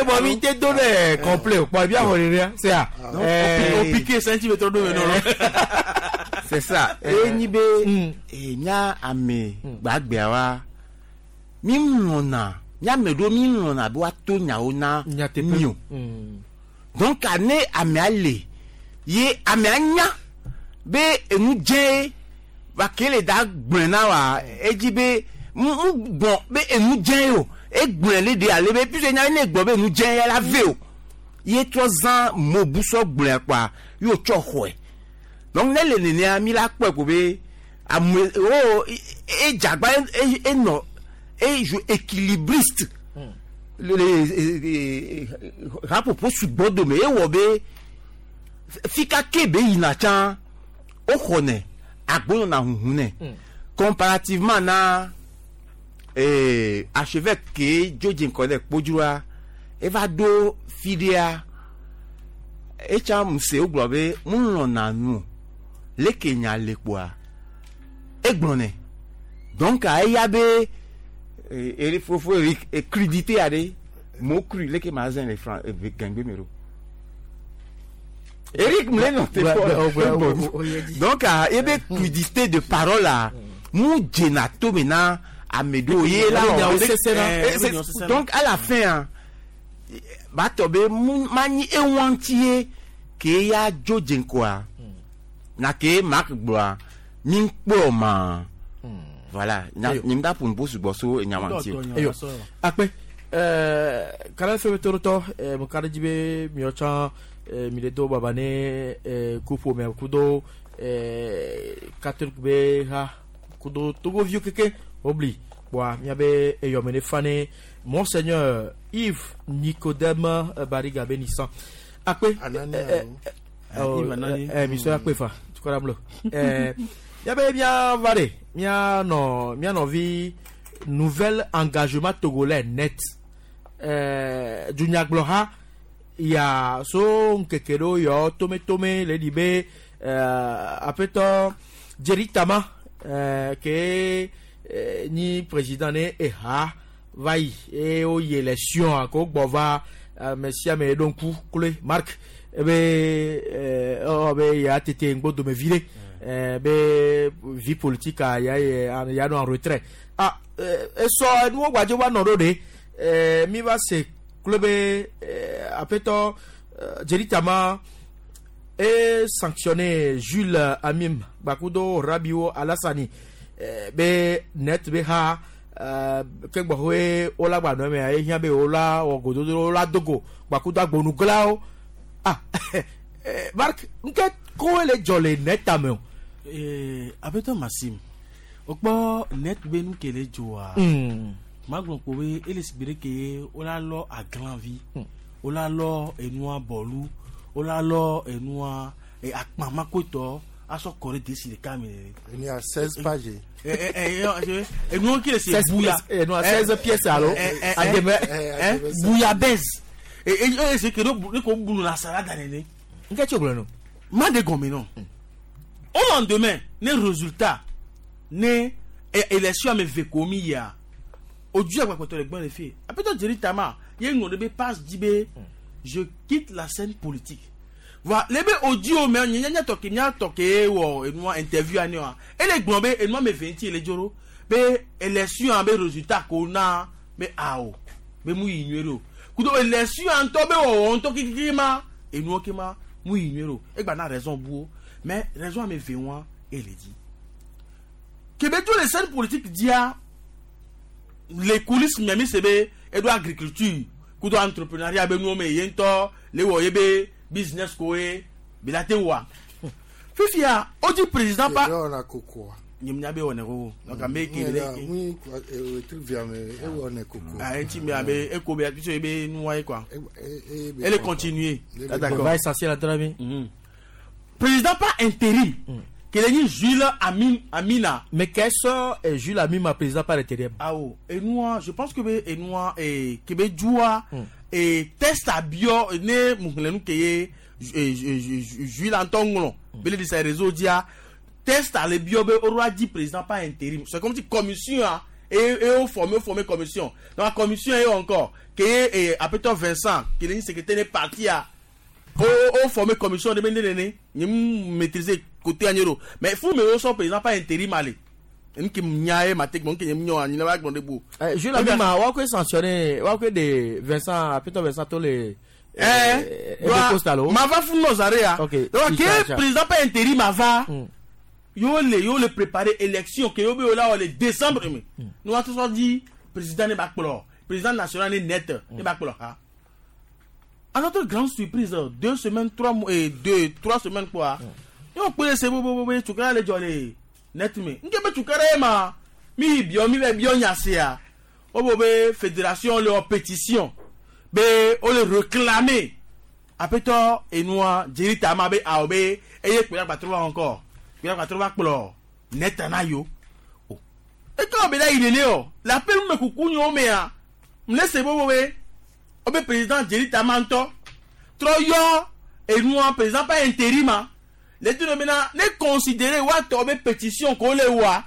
bọ̀ mi tẹ do dẹ complet pọ̀ ibi àwọn rere ṣe à. O piqué centimètre do mɛ nɔ. C'est ça. Enyi be nya ame gbagbea wa mi lɔna nya ame ɖewo mi lɔna be woato nyawo na mi o. Donc ne amea le ye amea nya be enu dze va ke le da gblɔe na wa edzi be mu gbɔn be enu dze o egblɔe le de ale be puisque nya ne gbɔ be enu dze ya la ve o ye trɔ zã mobusɔ gblɔe kpa ye tsɔ xɔe donc ne le nenea mi la kpɔe ko be ame o edzagba enɔ e joue équilibriste le le rapopo sugbɔ dome ewɔ be fika ke be yina tsã o xɔnɛ agbonɔna huhu nɛ comparativement na ee archevêque ke dzo dze ŋkɔ ɖe kpodzroa eva ɖo fi ɖea etsa muse wogblɔ be mu lɔna nu leke nya le kpoa egblɔ nɛ donc eya be eri fofo eri crudité aɖe mo cru leke ma zɛn le fran gɛngbe me ɖo. Eric Mleno donc il y a crudité de parole là mu dzena to me na ame ɖewo ye la donc à la fin batɔ be mu manyi ewa ŋuti ye ke ya dzo dze ŋkɔa na ke Marc gblɔa mi kpɔ ma voilà nye da ƒo nuƒo sugbɔ so enya ma ŋuti o. Eyo akpe ɛɛ kanal fɛn bɛ torotɔ ɛɛ mo ka dzi be miɔ tsã mi le do baba ne kuƒo me kudo catholique be ha kudo togoviwo keke wobli kpoa miabe eyɔme ne fa ne monseigneur Yves Nicodème Bariga be nisan akpe misɔ akpe fa tukɔra mlo miabe miava ɖe mianɔ mianɔvi nouvel engagement togolais net dunyagblɔha ya so nkeke ɖewo yɔ tometome le ɖi be aƒetɔ Jerry Tama ke nyi président ne eha va yi eye woyi élection ko gbɔ va ame sia ame ɖo ŋku kloe Marc ebe ewɔ be ya tete ŋgbodome vi ɖe be vie politique ya ya nɔ en retrait ah esɔ enuwo gbadze va nɔ ɖo ɖe mi va se kloe be aƒetɔ Jerry Tama e sanctionné Jules Amim gbakudo Rabiwo Alassani be net be ha ke gbɔxɔe wola gba nɔ mea ehiã be wola wɔ gododo wola dogo gbakudo agbonuglawo ah Marc nke koe le dzɔ le net ame o. aƒetɔ Maxime o kpɔ net be nu ke le dzoa magblɔ ko be ele si gbe ɖe ke wola lɔ aglanvi wola lɔ enua bɔlu wola lɔ enua akpamakotɔ asɔ kɔ ɖe desi ɖeka me. Enia seize pages. Enuwo ki le se buya. Enua seize pièces alo. Ademe. Bouillabaisse. Eye se ke ne ko bunu la salade nene. Nke tso gblɔ no. Ma de gɔme nɔ. Au lendemain ne résultat ne élection ame ve ko mi yia ojú àgbàpọ̀tọ̀ rẹ̀ gbọ́n lè fi aƒetɔ Jerry Tama ye ŋlɔ ɖe be passe dzi be je quitte la scène politique voilà lebe audio me nye nye tɔ ke nya tɔ ke wɔ enua interview ani wa ele gblɔ be enua me ve ŋuti ele dzoro be élection be résultat ko na be awo be mu yi nyuie ɖo kudo élection ŋutɔ be wɔwɔ ŋutɔ kikiki ma enuwo ke ma mu yi nyuie ɖo egba na raison buwo mais raison ame ve wa ele di kebe dzo le scène politique dia les coulisses miami se be eɖo agriculture kudo entrepreneuriat be nuwo me ye ŋutɔ le wɔ ye be business ko ye bi la te wa fifia o di président pa ewɔna koko nye nya be wɔnɛ koko donc ame ke le ŋui etri via me ewɔnɛ koko ah eti me abe eko be puisque ebe nuwa ye quoi elle est continuer d'accord va essentiel à drame président pas intérim kele ni Jules Amin Amina. Mais qu'est-ce que Jules Amina président par intérim? Ah oh, et nous je pense que be et nous et que be joua et test à bio ne muhlenu keye Jules Anton ŋlɔ be le di sa réseau dzia texte ale biɔ be o di président par intérim. C'est comme si commission a et et o formé o formé commission. Donc la commission est encore que et Apéto Vincent qui est secrétaire de parti a o o formé commission de mene nene ni maîtriser côté agnero mais fou mais o son président par intérim aller nki nyae matek mon ki nyo ani na ba gbon de bo Jules Abima wa ko sanctionner wa ko de Vincent Apéto Vincent to le eh ma va fou no zare ya. Donc que président par intérim ava yo le yo le préparer élection que yo be là le décembre mais nous a tous dit président ne ba kplo président national ne net ne ba kplo ha. À notre grande surprise deux semaines trois mois et deux trois semaines quoi yo pe se bo bo bo tukara le jole net me nke be tukara ma mi bio mi be bio nyase ya o bo be fédération le pétition be o le réclamer apeto enua Jerry Tama be a be eye pe la trouver encore pe la trouver kplo net na yo e quand be la il est o la pe me kuku nyo me a me laisse bo bo be o be président Jerry Tama nto troyo enua président pas intérim les deux maintenant ne considérer wa to be pétition ko le wa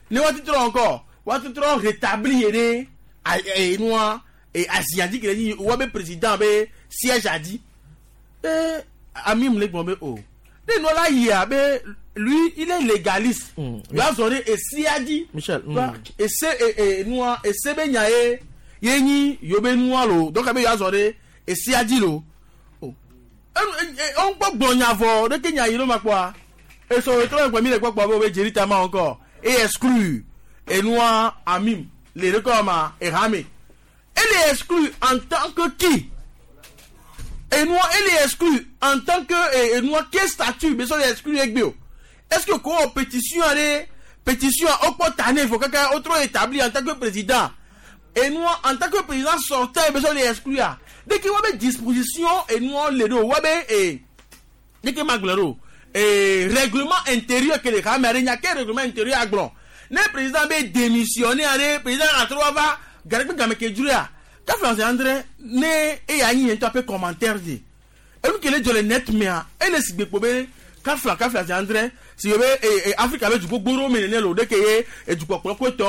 ne wa titre encore wa titre rétablir ne enua et asiatique il dit wa be président be siège a dit eh ami me le gbon be o ne no la ya be lui il est légaliste va zore et si a dit Michel et c'est et noa et c'est be nyae ye nyi yo be noa lo donc be ya zore et si a dit lo oh on peut gbonya vo de ke nya yi lo ma kwa et so retrouve ko mi le gbogbo be Jerry Tama encore et exclu et noa amim les records ma et ramé. Elle est exclue en tant que qui? Et nous, elle est exclue en tant que et, et nous, quel statut? Mais ça, elle est exclue avec bio. Est-ce que quoi, pétition, allez, pétition, au portané, il faut quelqu'un autre établi en tant que président. Et nous, en tant que président sortant, mais ça, elle est exclue. Dès qu'il y a une disposition, et nous, les deux, et dès qu'il y a et règlement intérieur que les caméras, il y a quel règlement intérieur à Glon? Le président va démissionner, allez, président à trois va. Garek game ke juria ka François André ne e ya yin to pe commentaire di e lu kele jole net me a e le sigbe po be ka Fra ka François André si be e Africa be ju gboro me ne lo de ke ye e ju popolo ko to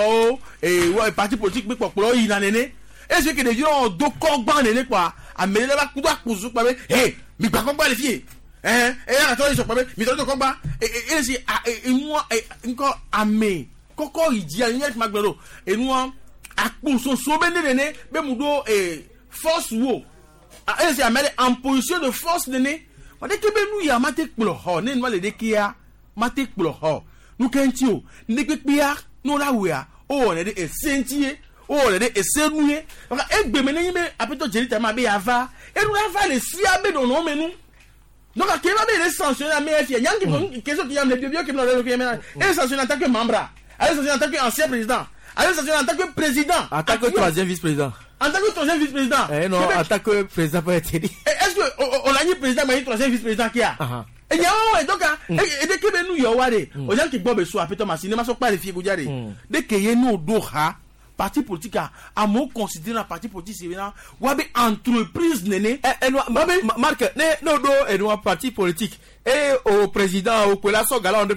e wa parti politique be popolo yi na nene e se ke de yo do ko gban nene kwa amele ba ku do akuzu pa be eh mi gba ko gba le fie eh e ya to so pa be mi to do ko gba e e si e mo nko ame koko iji ani ma gbero e nu akpo be nene be mudo eh force wo a e se amele en position de force nene on dit que be nu ya mate kplo ho ne no le de kia mate kplo ho nu kenti o ne pepia no la we a o ne de esentie o ne de esenuye e gbe me ne be apeto Jerry Tama be ava e nu ava le sia be do no menu donc a ke ba be le sanctionner mais fi nyangi question qui y a le bio qui me le et sanctionner en tant que membre allez sanctionner en tant que ancien président. Allez, en tant que président. En tant que troisième vice-président. En tant que troisième vice-président. Eh non, en tant que président peut être élu. Est-ce que on a mis président, mais troisième vice-président qui a? Et y a donc et dès que nous y a aux gens qui boivent soit peut-être ma cinéma sont pas les filles dès que y a nous doha parti politique a mon considérer la parti politique c'est là ou entreprise néné eh Marc ne no do et nous parti politique et au président au pela so gala on de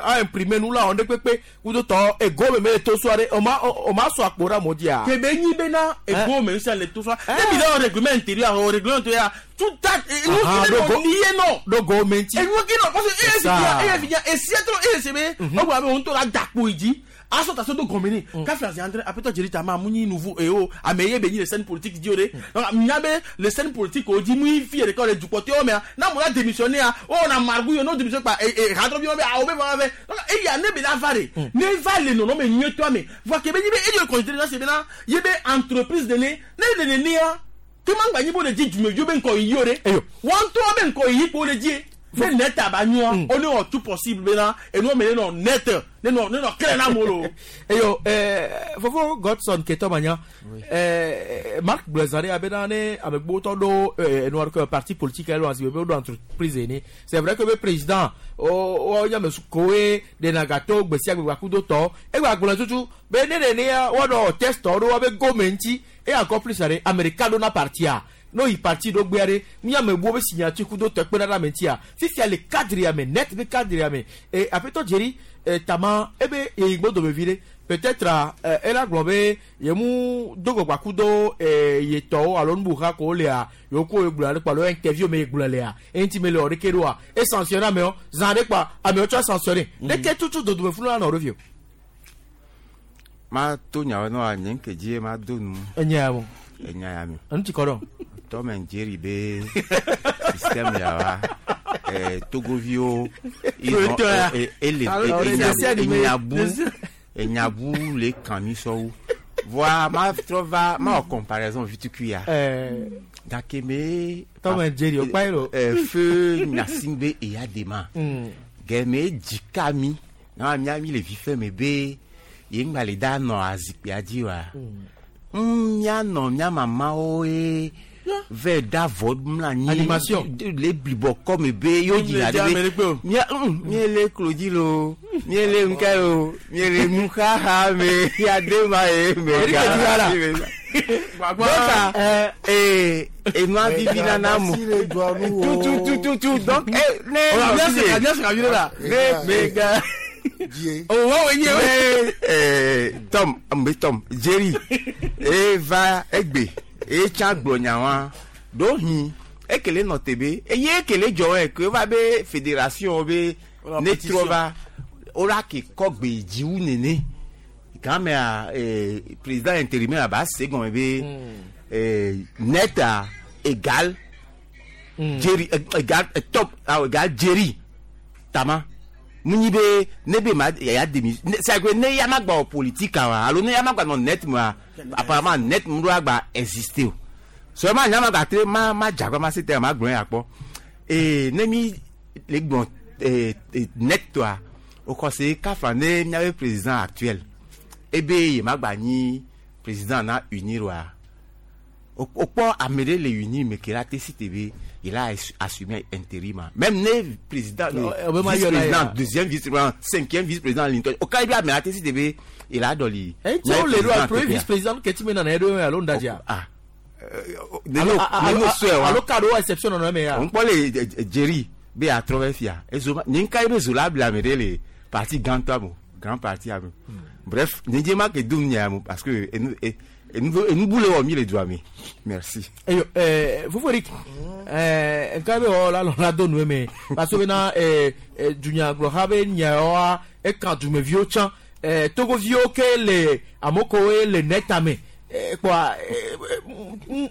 a imprimer nous là on de pepe ou de to et go me to soirée on m'a on m'a so akora modia que ben ni bena et go me ça le tout ça et bien règlement intérieur au règlement intérieur tout ça nous nous nier non do go menti et nous qui non parce que et c'est et c'est trop et c'est mais on va on to la dakpo idi aso ta so do gomene ka François André apeto Jerry Tama muni nouveau et o ameye beni les scènes politiques diore donc nyabe les scènes politiques o di mu fi record du côté o mais na mo la démissionner o na margou yo no démissionner pas et et rentre bien a o be va donc et ya ne be la vare ne va le non non mais mieux toi mais voit que be ni be et de considérer c'est bien ye be entreprise de ne ne de ne ya que mangba ni bo le di du me yo be nko yore wan to be nko yi po le di mais net abanyua on est tout possible maintenant et nous mais non net ne non ne non clair na molo et yo eh fofo Godson Ketomania eh Marc Blazare abenane avec boto do eh noir que parti politique elle a do entreprise né c'est vrai que le président o o ya me koe de nagato gbesia gbe kudo to e gba gbona tutu be ne ne ne wa do test do wa be gomenti et encore plus are americano na parti a No yi parti ɖo gbea ɖe miame bu be signature kudo tɔkpe ɖe ame ŋutia fifia le cadre ya me net be cadre ya me e aƒetɔ Jerry e tama ebe yeyi gbɔdɔ me vi ɖe peut-être ela gblɔ be yemu do gbɔgba kudo e yetɔwo alo nubuha ko lea yewo ko ye gblɔ ale kpa alo interview me ye gblɔ lea eŋuti me le wɔ ɖeke ɖoa e sanctionné amewo zã ɖe kpa amewo tsɔ sanctionné ɖeke tutu dodome funu la nɔ ɖo fi o. Ma to nyawo nɔ nye nke dzi ma do nu. Enya ya mo. Enya ya mi. Enu ti kɔ dɔn. Tom and Jerry be système ya wa eh, Togoviwo ele enyabu enyabu le kan mi sɔwu voa ma trɔ va ma wɔ comparaison vituku ya gake me Tom and Jerry o kpa yi lo. Feu Gnassingbé Eyadema gɛmɛ dzika mi na mia mi le vi fɛ me be ye ŋgba le da nɔ azikpuia dzi wa mianɔ mia mamawo ye vɛ da vɔ mla anyi animation le blibɔ kɔme be yóò dzina ɖe be mia mie le klodzi lo mie le ŋkɛ lo mie le nuxaxa me ya de ma ye me ga donc ee enua vivi nana mo tu tu tu tu donc eh ne ne me ga. Oh, wow, yeah. Eh, Tom, mbe Tom, Jerry, eva egbe, e cha gbonya wa. Do hin, ekele no tebe, e ye ekele jo e ke va be fédération be ne trova ora ke kogbe jiwu nene. Quand mais eh président intérimaire ba second be eh net à égal Jerry égal top égal Jerry Tama. Munyi be ne be ma ya demi c'est que ne ya ma gba politique wa alo ne ya ma gba no net ma apparemment net mu do agba exister o seulement nya ma gba tre ma ma jagba ma c'était ma gbon ya po et ne mi le gbon eh net toi au conseil kafa ne nya be président actuel e be ye ma gba ni président na unir wa au po amere le unir mais que la T C T B il a assumé intérim. Même né président, vice-président, deuxième vice-président, cinquième vice-président Linton. Au cas où il a la T C T B, il a donné. Et tu vois, le premier vice-président qui est mis dans les deux à l'Ondadia. Ah. Alors, cadeau exception non mais. On parle Jerry, B à trouver fia. Et Zoma, n'inka ibe Zola blamere les parti grand grand parti. Bref, n'die ma que doum parce que et nous et nous voulons mis les doigts mais merci. Eh eh vous voyez eh nka be o la la do nu me parce que na eh dunya glo ha be nya o e kan du me vio chan eh togo vio ke le amoko e le netame eh quoi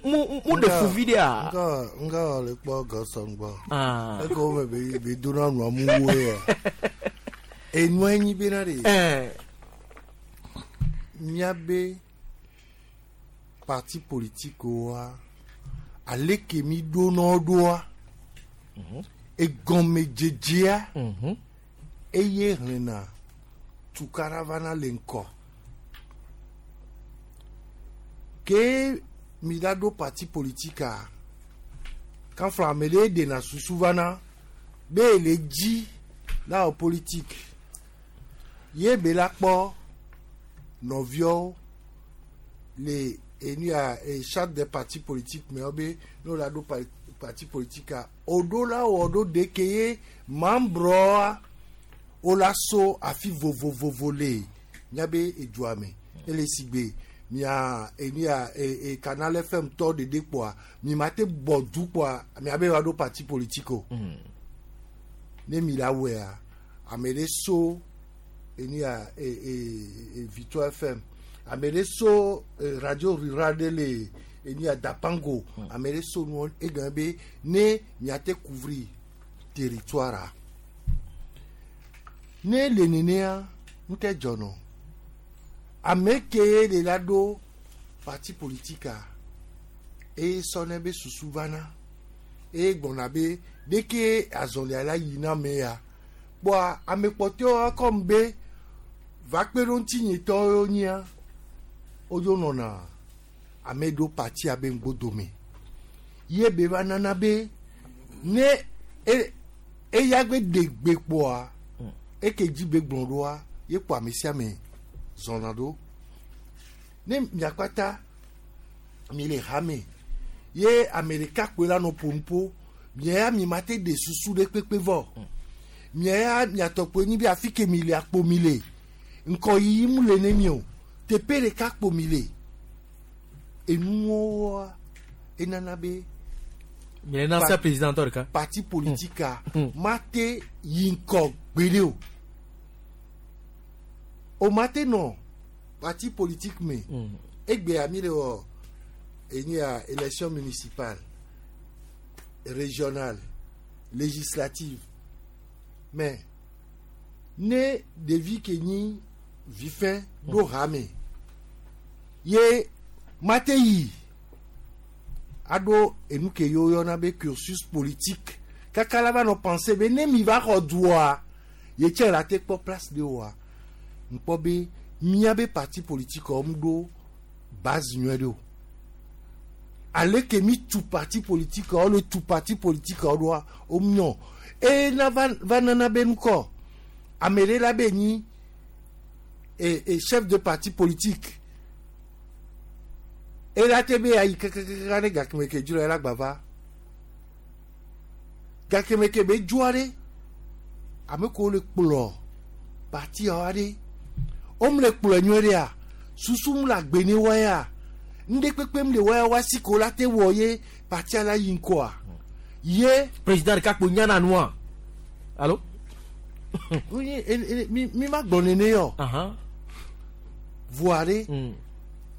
mu mu de fu vidéo nga nga le po gosan gbo ah e ko me be be do na nu amu wo ya e nu enyi be na re eh nya be parti politique wa aleke mi do no do wa e gome jejia e ye rena tu caravana lenko ke mi da do parti politique a kan flamele de na susuvana be le ji la o politique ye be la po novio le et nous a charte des partis politiques mais obé nous la do parti politique a odo la odo dekeye membre o la so afi vovo vovo le nyabe eduame ele sigbe mia eni a e Canal F M to de de quoi mi mate bodu quoi mi abe wa do parti politique o ne mi la we a amele so eni a e e Victoire F M amele so radio rural de le eni a Dapango amele so no e gambe ne mi ate couvrir territoire ne le nene a nte jono ameke le la do parti politique a e sone be susuvana e gbona be deke azonle ala yina me ya bo amepote o kombe va kpero ntinye to nya ojo nona amedo parti abe ngbodome ye be va nana be ne e e yagbe degbe po a e keji be gbon do a ye po amesia me zonado ne miakpata mi le hame Ye ame ɖeka kpoe la nɔ ƒom mia ya mi ma te ɖe susu ɖe kpekpe vɔ. Mia ya miatɔ kpoe nyi be afi ke mi le akpo mi le. Ŋkɔyiyi mu le ne mi o. Teƒe ɖeka kpo mi le. Enuwoa enana be. Mi le ancien président tɔ ɖeka. Parti politique a ma te yi ŋkɔ gbeɖe o. O ma te nɔ parti politique me. Egbea mi le wɔ enyi ya élection municipale, régionale, législative. Mais ne ɖevi ke nyi vifɛ ɖo hame ye ma te yi aɖo enu ke ye woyɔna be cursus politique kaka la va nɔ penser be ne mi va xɔ dua ye tsɛ la te kpɔ place de oa ŋkpɔ be míabe parti politique wɔm ɖo base nyuie ɖe o ale ke mi tu parti politique wo le tu parti politique wo ɖoa wo nyɔ eye na va va nana be ŋkɔ ame ɖe la be nyi e e chef de parti politique ela te be ayi kakakaka ne gakeme ke dzro ela gba va gakeme ke be dzoa ɖe ame kewo le kplɔ partia ɖe wome le kplɔe nyuie ɖea susu mu le agbe ne wa ya ŋɖe kpekpe mu le wa ya wa si ko la te wɔ ye partia la yi ŋkɔa ye. Président ɖeka kpo nyana nua alo. Oui, mi mi ma gblɔ nene yɔ. Voa ɖe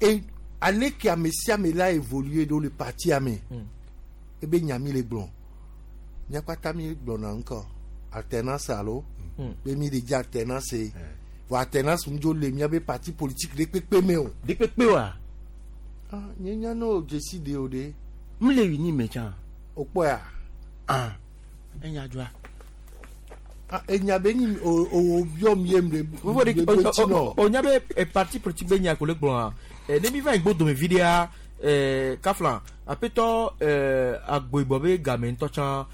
e ale ke ame sia ame la évoluer ɖo le partia me ebe nya mi le gblɔ mía kpata mi gblɔna ŋkɔ alternance alo be mi le dze alternance vɔ alternance ŋu dzo le míabe parti politique ɖe kpekpe me o. Ɖe kpekpe wa. Ah nye nya ne o dzesi de o de. M le wi ni me tsã. O kpɔa. Ah enya dzɔa. Ah enya be nyi o o biɔ mi ye mi le. Vovo de o o nya be parti politique be nya ko le gblɔa ne mi va yi gbɔdome vi ɖea kafla aƒetɔ agboyibɔ be game ŋutɔ tsã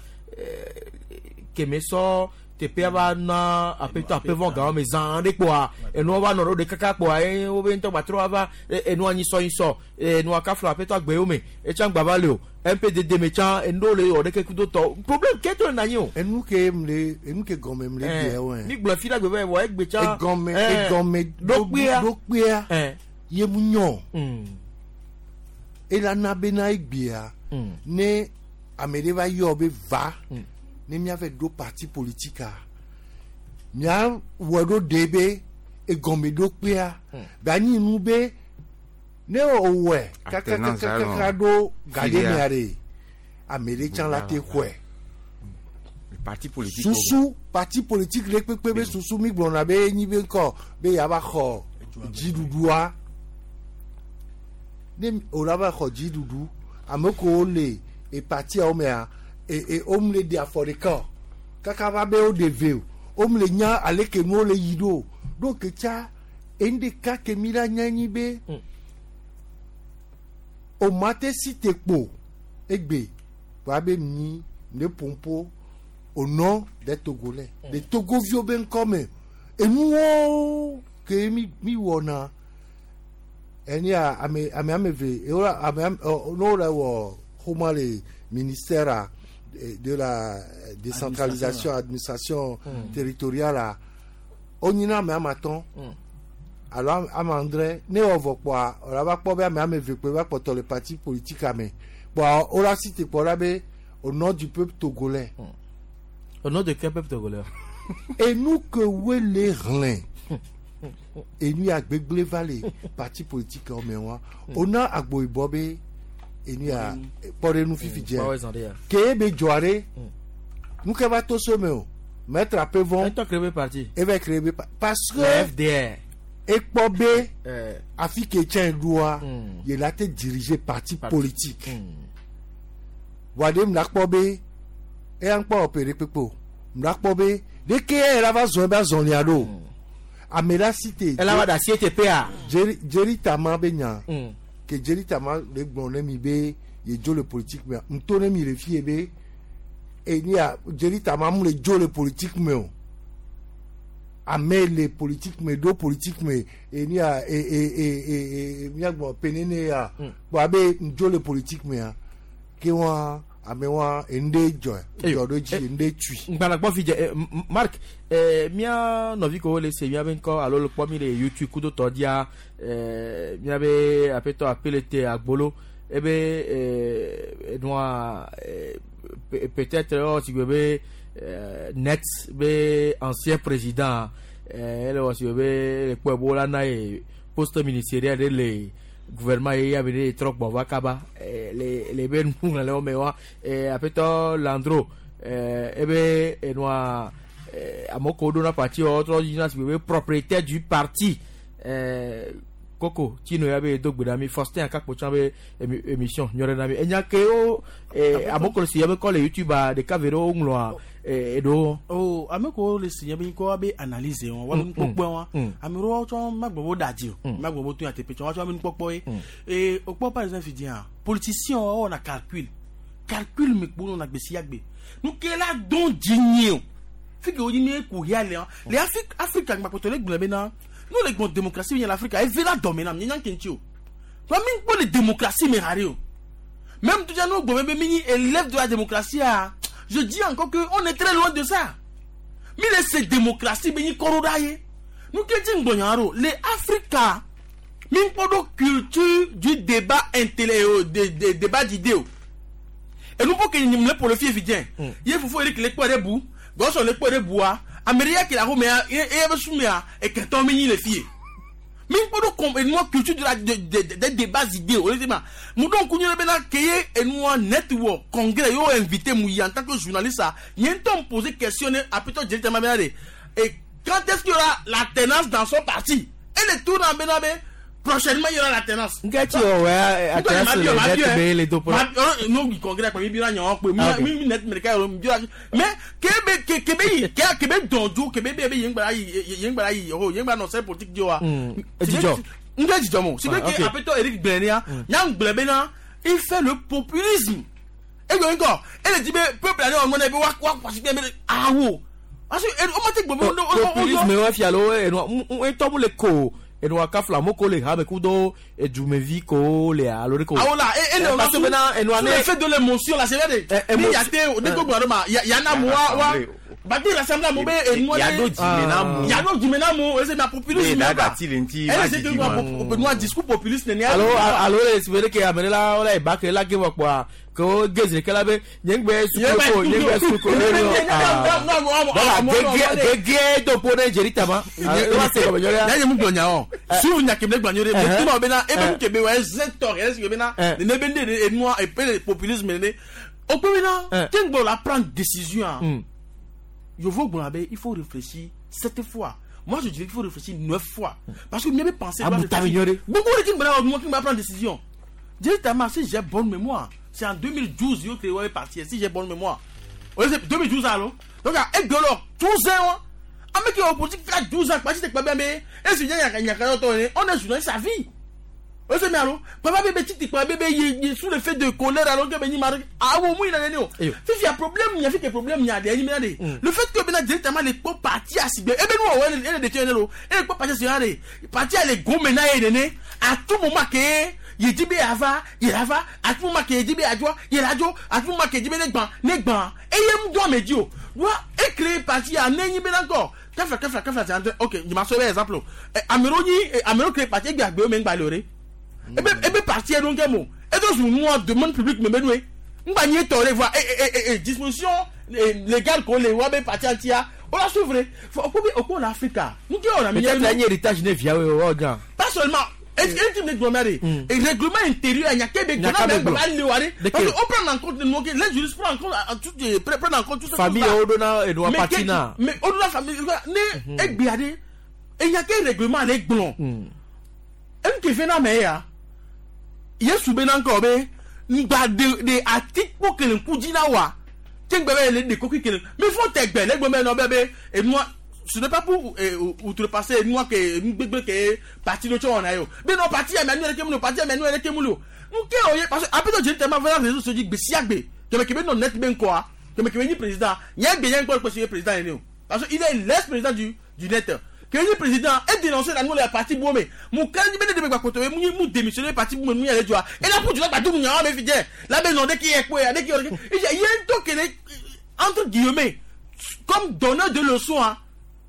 keme sɔ teƒea va na aƒetɔ aƒevɔ gawo me zã ɖe kpoa enua va nɔ ɖo ɖe kaka kpoa ye wobe ŋutɔ gbatrɔ va enua nyisɔ nyisɔ enua kafla aƒetɔ agbewo me etsã gba va le o M P D D me tsã enu ɖewo le wɔ ɖeke kudo tɔ problème ke to le na anyi o. Enu ke m le enu ke gɔme m le bia wɔe. Mi gblɔ fi la gbe va wɔ egbe tsã. Egɔme egɔme ɖokpea ɖokpea ye mu nyɔ. Ela na bena egbea ne ame ɖe va yɔ be va ne míava ɖo parti politique a mía wɔ ɖo ɖe be egɔme ɖokpea be anyi nu be ne o wɔe kakakakaka ɖo ga ɖe mea ɖe ame ɖe tsã la te xɔe. Parti politique susu parti politique ɖe kpekpe be susu mi gblɔna be enyi be ŋkɔ be yava xɔ dziɖuɖua ne o la va xɔ dziɖuɖu ame kewo le e partiawo mea e e wo le ɖe afɔ ɖeka o kaka va be wo ɖe ve o wo le nya ale ke nuwo le yi ɖo ɖo ke tsa enu ɖeka ke mi la nya nyi be o ma te si te kpo egbe wa be mi ne pompo au nom des Togolais des Togoviwo be ŋkɔ me enuwo ke mi mi wɔna eni a ame ame ame ve e wala ame ame n'o la wɔ xɔma le ministère a de la décentralisation administration mm. territoriale a onyina ame ame atɔ̃ alo ame adre ne wɔ vɔ kpɔa wòle va kpɔ be ame ame eve kpe va kpɔtɔ le parti politique ame kpɔa wola si te kpɔ la be au nom du peuple togolais. Mm. Au nom de quel peuple togolais? Enu ke wele hlẽ enu ya gbegble va le parti politique me wa ona agboyibɔ be enu ya kpɔ ɖe nu fifi dze ke be dzɔa ɖe nu ke va to so me o maître Apevon etɔ créé be parti eva créé be parce que F D R ekpɔ be afi ke tsɛ ɖoa ye la te diriger parti politique wa ɖe mla kpɔ be eya ŋkpɔ ɔpɛ ɖe kpekpe o mla kpɔ be ɖeke ya la va zɔn ebe azɔlia ɖo ame la si te. Ela va da si te pea. Jerry Jerry Tama be nya. Ke Jerry Tama le gblɔ ne mi be ye dzo le politique me ŋutɔ ne mi le fie be eni a Jerry Tama mu le dzo le politique me o ame le politique me ɖo politique me eni a e e e e e miagbɔ penene ya kpɔ abe ŋdzo le politique mea Ke wa ame wa ende dzɔ dzɔ ɖo dzi ende tui. Ŋgbanagbɔ fi dze eh, M- M- Mark eh, mía nɔvi ko le se míabe ŋkɔ alo le kpɔ mi le YouTube kudo tɔ dzia eh, míabe aƒetɔ apelete agbolo ebe eh, enua eh, pe- peut-être ewɔ si gbe be eh, net be ancien président eh, ele wɔ si gbe be ele kpɔe be wola na ye poste ministériel ɖe le gouvernement ye ya be ɖe trɔ gbɔ va kaba eh, le le be nuxlẽlewo me wa eh, aƒetɔ Landro eh, ebe enua eh, amewo ko ɖona parti wa wotrɔ yina si gbe be propriétaire du parti eh, koko tino ya be do gbe ɖa mi Faustin Akakpo tsã be émi- émission nyɔ ɖe na mi enya ke wo eh, amewo ko le si ya be kɔ le YouTube a ɖeka ve ɖewo ŋlɔa eh, eɖewo. o ame ko le si nye be ŋkɔ be analyse wɔn wa be nukpɔkpɔ wɔn ame ɖewo tsɔ magblɔ be wo da dzi o magblɔ be wo to nyateƒe tsɔ wa tsɔ be nukpɔkpɔ ye ee o kpɔ par exemple fi dzia politicien wa wɔna calcul calcul me kpo nɔna gbe sia gbe nuke la dɔn dzi nye o fi ke wo dzi mi ku hia le le Afrique Afrika gbakpɔtɔ le gblɔ bena n'o le gbɔn démocratie mi nye le Afrika eve la dɔme na mi nye nya ke ŋuti o wa mi kpɔ le démocratie me haɖe o même tout ça nous gbɔ be mi nyi élève de la démocratie ah je dis encore que on est très loin de ça mi le se démocratie be nyi kɔrɔ ɖa ye nu ke dzi ŋgbɔnya ɖo le Afrika mi kpɔ ɖo culture du débat intellect o de de débat d'idées o enu po ke nyim le polo fie fi dze ye fofo Eric le kpɔ ɖe bu gɔsɔ le kpɔ ɖe bua ame ɖe ya ke le axomea ye eye be sumea eketɔ mi nyi le fie mi kpɔ ɖo kɔm enua culture de la de de de débat d'idées o le ma mu ɖo ŋku nyuie bena ke ye enua network congrès y'o invité mu yi en tant que journaliste a nye ŋutɔ me poser question ne apetɔ dzeli tema bena de et quand est-ce qu'il y aura l'alternance dans son parti et le tour na bena be prochainement il y aura l'alternance. Nke tsi wɔ wɛ alternance le net be le do Ma no yi congrès kpa mi bi na ɲɔgɔn kpe Ah, ok. mi mi net mi ɖeka yɔrɔ mi bi na mais kebe ke kebe yi ke kebe dɔn jo kebe be be yen gbara yi yen gbara yi o yen gbara nɔ sɛ politique di wa. Mm. Dzidzɔ. N tɛ dzidzɔ mo si Ah, be ok. ke apetɔ Eric Gblenia nya gblẽ bena il fait le populisme e gbɛ ŋkɔ e le di be peuple ale wɔn mɔnɛ be wa wa kwasi be awo parce que o ma te gbɔ be o o o populisme wa fia lo enua ŋutɔ mu le ko enua kafla mo ko le ha me kudo edumevi ko le alo de ko. awo la e e le parce que bena enua sous ne l'effet de l'émotion la c'est vrai de ni yate ne ko gbɔdɔ ma ya yana mu wa wa bati rassemble mo be enua Yado dzime na mu. yado dzime na mu ese ma populisme Ne ma da gati le ŋuti ele va se didi ke ma. nua discours populiste nene alo alo le si be ke ame ɖe la wole eba ke la ge wɔ kpɔa ke wo ge zi ɖeka la be nye ŋgbe suku ko nye ŋgbe suku ko bɔla gege do po ne dzeri tama wa se gɔmɛ nyɔ ɖe. yanyi mu gblɔ nya o suvu nya kebe gblɔ nyɔ ɖe Eh. mais tuma bena ebe nu kebe wa eze tɔ yɛrɛ si bena Eh. nene be ne enua epe le populisme nene o kpe bena te ŋgbɔ la prendre décision a yovo gblɔ be il faut réfléchir sept fois moi je dirais qu'il faut réfléchir neuf fois parce que mieux be penser Ah, doit bu ta réfléchir. nyɔ ɖe. gbogbo de ti gblɔ na qui va prendre décision directement si j'ai bonne mémoire c'est en deux mille douze yo créé ouais parti si j'ai bonne mémoire. Ouais, c'est deux mille douze alors donc à egolo douze ans ame qui est opposition qui a douze ans parti te kpa be et si nya nya ka to on est journaliste sa vie o se mi alo papa bebe titi kpa bebe ye ye sous l'effet de colère alors que be ni mar awo mu ina ne o fifi a problème nya fi ke problème nya de ni de le fait que bena directement les po parti asigbe e be nu o ele de tiene lo e po parti asigbe de parti ale gome na ye ne à tout moment que ye di be ava ye ava à tout moment que ye di be adjoa ye la jo à tout moment que ye di be ne gban ne gban e ye mu do me di o wa e créer parti a ne nyi be na encore kafla kafla kafla c'est entre ok je m'en souviens exemple amero nyi amero créer parti e gbe agbe o me ngba lore ebe ebe parti yɛ ɖo mo edo zu nua demande publique me benue ŋgba nyi tɔ le voa e e e disposition légale ko le wa be parti ŋutia o la suivre fɔ o ko bi o ko la Afrika nu ke wɔna mi peut-être la nye héritage ne via wo o gan. Pas seulement est-ce que tu me gblɔmɛ de règlement intérieur nya ke be Nya ke gbɔna be be gblɔ. gba le wa de De parce ke? que on prend en compte nous les juristes prennent en compte tout prennent en compte tout Famille wo ɖo na enua Mais parti ke- na. mais o ɖo na famille ne egbea de enya ke règlement le gblɔ enu ke fe na me ya yesu be na ŋkɔ be ŋgba de de atikpo kele ŋku dzi na wa te ŋgba be le de koki kele mi fɔ tɛ gbɛ le gbɔ be nɔ be be enua ce n'est pas pour eh, outrepasser enua ke enu gbegbe ke parti do tsɔ wɔna ye o be nɔ parti ya mɛ enu yɛrɛ ke mu lo parti ya mɛ enu yɛrɛ ke mu lo nu ke o ye parce que apetɔ dzeli tɛma fɛn réseau sociaux dzi gbe sia gbe kɛmɛ kɛmɛ nɔ net be ŋkɔa kɛmɛ kɛmɛ nyi président nye gbe nye ŋkɔ kpɛsi ye président ye ne o parce que il est l'ex président du du net. Que le président ait dénoncé la nouvelle parti Boumé. Mon candidat de Bebakoto, mou démissionné parti Boumé, mou yale joa. Et là, pour du là, tout le monde, la maison de qui est quoi, de qui il y a un truc qui est, entre guillemets, comme donneur de leçons, hein.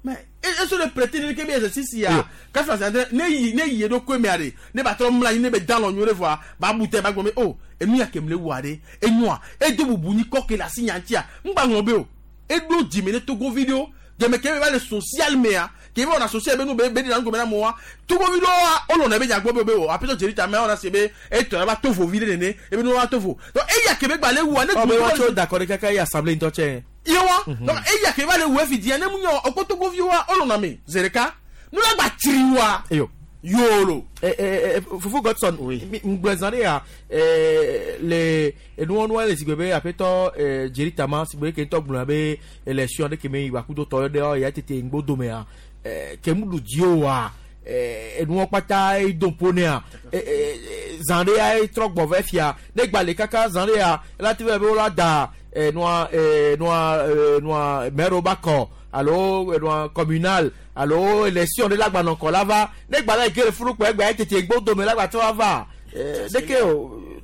Mais, et ce le prêter, ne kebe exercice ya. Quand ça ne yi ne yi do ko me are. Ne ba tro mla ne be dans l'on voir, ba bouté ba gome oh, et nous ya kemle ware, et nous et do bubu ni ko ke la signantia. M'ba ngombe o. Et do dimene Togo vidéo. Deme kebe ba le social media. Kebe on associé be nous be be dans gome na moi. Togo vidéo o lo na be ya gbo be o. Après Jerry ta on a sebe et to ba tovo vidéo nene, et be nous wa tovo. Donc et ya kebe gba le wa ne Oh, mais wa cho d'accord kaka ya assemblée ntoche. Yewa donc eya ke va le we fidi ne munyo okotogo vi wa olona me zereka nu la gba tiriwa eyo yolo eh eh Fufu Godson oui ngbezane ya eh le nu onu le sigbebe apeto eh Jerry Tama sigbebe ke to gbona be élection de ke me iwa kudo to de o ya tete ngbodo me ya eh ke mu dio wa eh nu opata e dompone a eh zande ya e trogbo ve fia ne gbale kaka zande ya la ti be la da eh noa eh noa noa mero bako alo noa communal alo élection de la gba nko lava ne gba la ke furu pe gba tete gbodo me la gba to ava eh de ke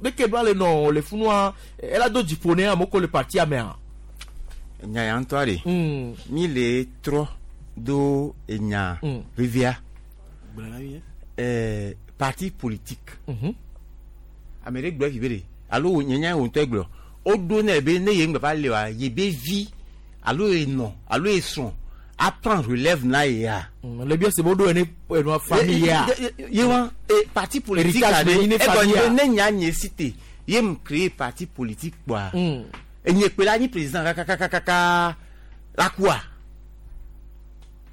de ke ba le no le funua ela do dipone amoko le parti amea nya ya ntoare mi le tro do enya vivia eh parti politique amere gbo vivere alo nyanya won to gbo o do na be ne ye ngba le wa ye be vi alo e no alo e son a prendre relève na ya le bien c'est bon do ene no famille ya ye wa e parti politique ne famille ne nya nye cité ye m créer parti politique quoi e nye pe la ni président kakakakaka la quoi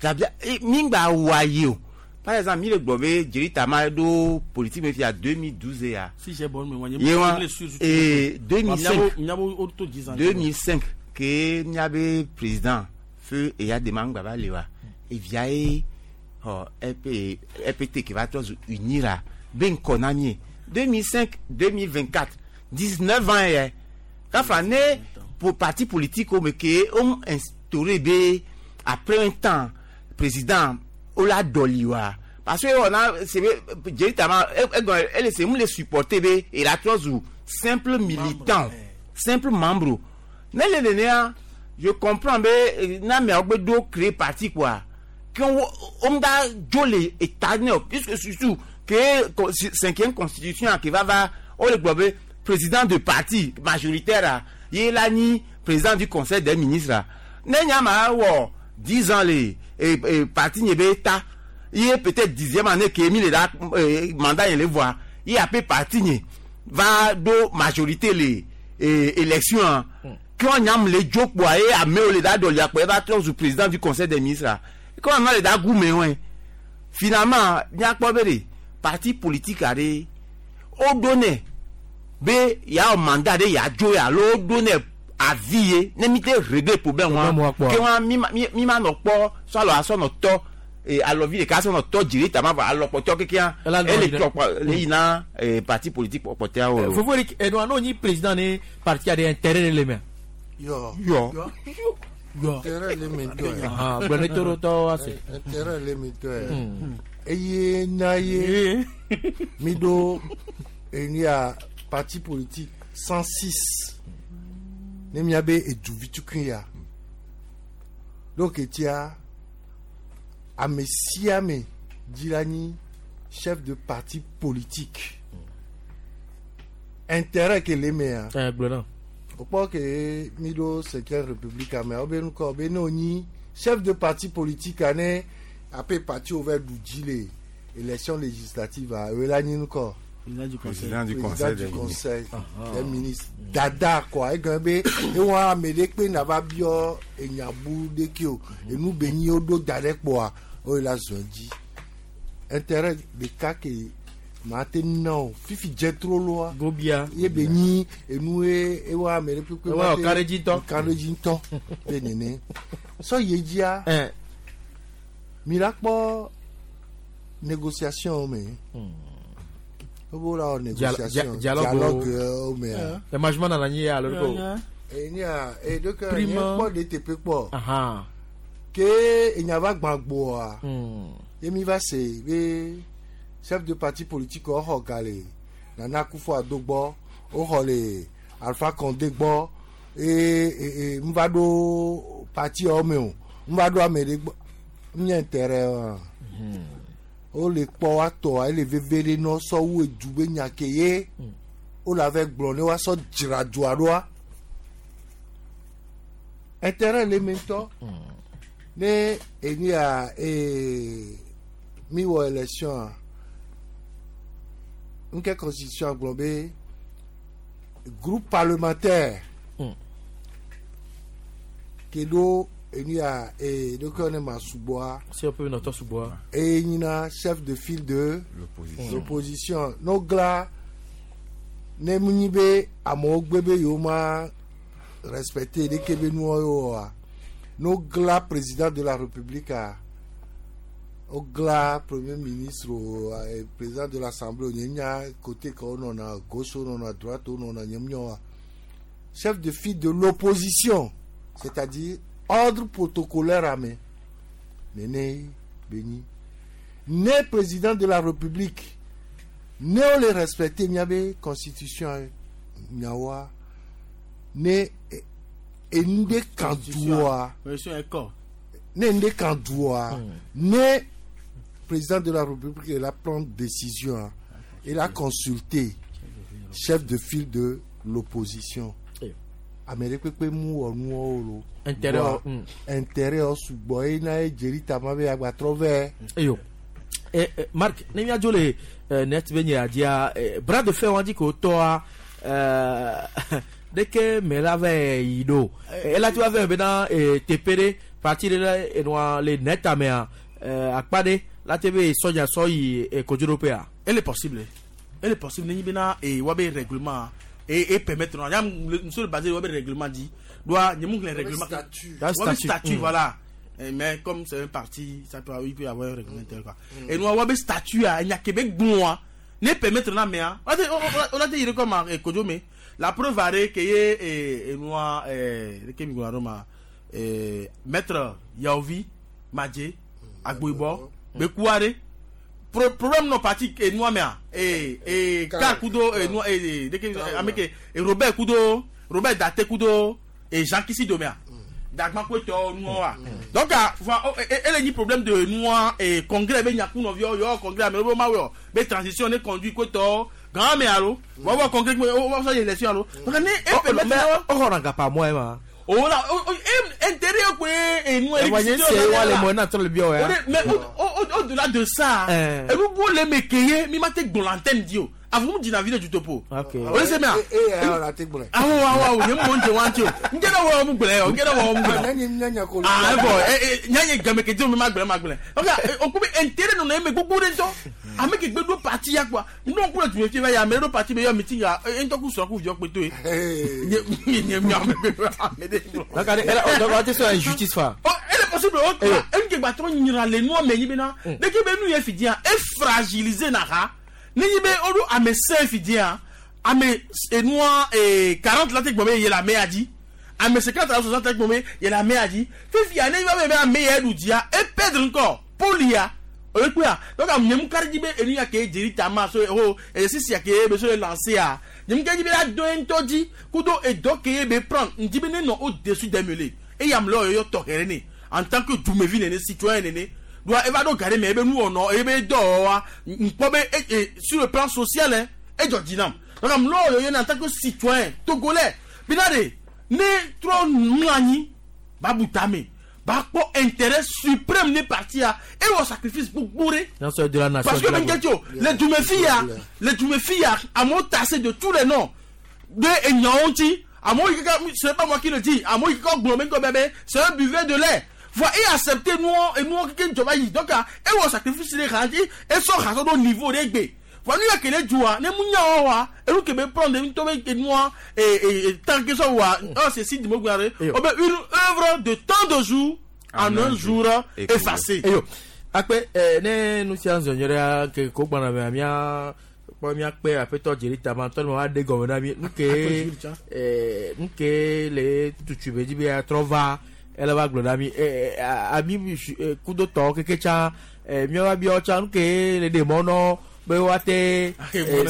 la bien mi ngba wa ye o. Par exemple, mi le gbobe Jerry Tama do politique me fi deux mille douze ya. Si j'ai bon mais moi et deux mille cinq deux mille cinq que miabe président feu et ya demande baba lewa et via e oh E P E P T qui va tous unir là ben konamie deux mille cinq deux mille vingt-quatre dix-neuf ans eh quand frané pour parti politique mais que on instauré be après un temps président ola doliwa parce que on a c'est Jerry Tama elle c'est nous les supporter be et la trois ou simple militant simple membre ne le ne je comprends be na me ogbe do créer parti quoi qu'on on da jolé état ne puisque surtout que cinquième constitution qui va va on le globe président de parti majoritaire il la ni président du conseil des ministres ne nyama wo dix ans les et, et parti n'y ta il est peut-être dixième année que mis le mandat il le voit il a peu parti va do majorité les élections quand on a les joke boy à mais le da do ya va trop président du conseil des ministres quand on a les da goumé ouais finalement n'y a pas béré parti politique a o donné b ya mandat de ya jo ya lo donné à vie ne mi te régler problème wa ke wa mi mi ma no po so alo aso no to e alo vi le ka so no to jiri ta ma va alo po to kekia e le to le ina parti politique po te o Fofo Eric e no ni président ni parti a des intérêts les mains yo yo yo intérêt les mains to ah bon toro to ase intérêt les mains to e ye na ye mi do e ni a parti politique cent six ne miabe eduvitukun ya donc etia ame sia ame dzilani chef de parti politique intérêt ke le mea eh gblɔ okpɔ ke mi ɖo cinquième république ame wobe nukɔ be ne wonyi chef de parti politique ane ape parti wo va ɖu dzi le élection législative a ewe la nyi nukɔ. Président du conseil, président du conseil, du conseil des ministres dada quoi et be e won amede pe na va bio enyabu de ki o enu be nyi o do dare po a o la zonji intérêt de ka ke ma te no fifi jetro lo a gobia ye be nyi enu e e won amede pe pe ma te kareji to kareji to pe nene so yejia eh mi la po négociation mais obo négociation dialogue mais le management na nyi ya loriko e ni a e donc ni po D T P po aha Ke enyava gbagboa. Ye mi va se be chef de parti politique o xɔ ga le Nana Akufo-Addo gbɔ, o xɔ le Alpha Condé gbɔ, e e e m va ɖo parti yawo me o, m va ɖo ame ɖe gbɔ, m nye intérêt wa. O le kpɔ wa tɔa ele veve ɖe nɔ sɔ wu edu be nya ke ye o la vɛ gblɔ ne wa sɔ dzra dua ɖoa. Intérêt le me ŋutɔ. Ne enu ya ee mi wɔ élection a nke constitution gblɔ be groupe parlementaire ke ɖo enu ya ee ɖokɔ ne ma sugbɔa. Si on peut nɔtɔ sugbɔa. Eye nyina chef de file de l'opposition. L'opposition n'o gla ne mu nyi be amewo gbe be yewo ma respecter ɖeke be nuwo oa n'o gla président de la république a o gla premier ministre o eh, président de l'assemblée o nye nya côté ke wo nɔna gauche wo nɔna droite wo nɔna nye miɔ wa chef de file de l'opposition, c'est-à-dire ordre protocolaire ame nene be nyi ne président de la république ne wo le respecter miabe constitution nyawoa ne enu ɖe kan doa Constitution ekɔ. Ne enu ɖe kan doa ne président de la république il a prendre décision il a consulté chef de file de l'opposition ame ɖe kpekpe mu wɔ nuwo lo Intérêt, Voa, mm. intérêt wo sugbɔ ye na ye dzeli tama be agbatrɔ vɛ. Eyo. Eh, eh, Marc, ne míadzo le eh, net be nye dzia eh, bras de fer wa dzi ko tɔa eh, ɖeke me la va yi ɖo ela ti va vɛ bena eh, teƒe ɖe parti ɖe le enua le net amea eh, akpa ɖe la te be sɔdza sɔ yi eh, kodzoɖoƒea. Elle est possible. Elle est possible. Nenyi bena e wa be règlement et et permettre non. Yam monsieur le basé wa be règlement dit doit nyemu le règlement. Statut. Wa be Statut. statut Mm. voilà. Eh, mais comme c'est un parti, ça peut il peut y avoir un règlement intérieur quoi. Et nous wa be statut a nya kebe gbon ne permettre na mais on a on a dit comme eh, Kojo mais la preuve are que ye et et nous eh ke mi ma eh maître Yaovi Madje Agboibo Bekuare Pro problème non parti e noa mea e e ka kudo e noa e de ke ameke e Robert kudo Robert Date kudo e Jean Kissi domea dagba ko to noa donc ah va ele ni problème de noa e congrès be nyaku no vio yo congrès me bo ma wo be transition ne conduit ko to grand me alo wa wa congrès ko wa sa élection alo donc ne e permettre o xɔna gapa mɔ ma. O la o o intérêt ko e noa Ɛwɔ nye se wa le mɔ na trɔ le biɔ ya. Mais au-delà de ça, et vous voulez me cueillir, mais ma tête dans l'antenne dit avons dit la vie du topo. Ok. O se mea. E e la te gblɔ. Awo awo awo nye mo nje wanti o. Nje na wo mu gblɛ o, nje na wo mu gblɛ. Ne nye nya ko. Ah bon, eh eh nya nye game ke di o ma gblɛ ma gblɛ. Donc o ko be intérêt non me gbogbo de to. Ame ke gbe do parti ya quoi. Non ko tu me fi va ya me do parti be yo meeting ya en to ku so ku jo pe to e. Nye nye mi ame be ame de. Donc elle donc on te sɔ injustice fa. Oh, elle est possible o. En ke gba to nyira le nu ame nyi be na. De ke be nu ye fi dia e fragiliser na ha. Ni be odu ame cinq fi dia ame enua e quarante la te gbome ye la me adi ame cinquante la soixante te gbome ye la me adi fifi ane ba be ame ye du dia e perdre encore polia o pe a donc am nyem kari di be enu ya ke jeri tama so oh e sisi ya ke be so lancer a nyem ke di be la do en toji kudo e do ke be prendre ndi be ne non au dessus des mêlées et yam lo yo to herene en tant que dumevi nene citoyen nene doit eva do gare mais ebe nu ono ebe do wa npo be sur le plan social hein et jodinam donc am lo yo en tant que citoyen togolais binade ne trop mlani babu tame ba ko intérêt suprême ne parti a et au sacrifice pour bourrer Non c'est de la nation. Parce que ben les Dumefia les Dumefia a mon tassé de tous les noms de Nyaonti à moi c'est pas moi qui le dis à moi qui bébé c'est un buveur de lait faut et accepter nous et nous qui jobayi donc et au sacrifice les randi et son raison au niveau des b faut nous que les joie ne munya wa et nous que me prendre une tombe et nous et et tant que ça wa oh c'est si dis-moi une œuvre de tant de jours en un jour effacé. Eyo akpe ne nu sia zɔnyɔrɔ ke ko gbana mɛ mia kpɔ mia kpe aƒetɔ dzeli tama tɔ ma de gɔmɛ na mi nu ke nu ke le tutu be dzi be atrɔ va Ele va gblɔ na mi ami kudo tɔ keke tsã miawo biawo tsã nu ke le ɖe mɔ nɔ be woate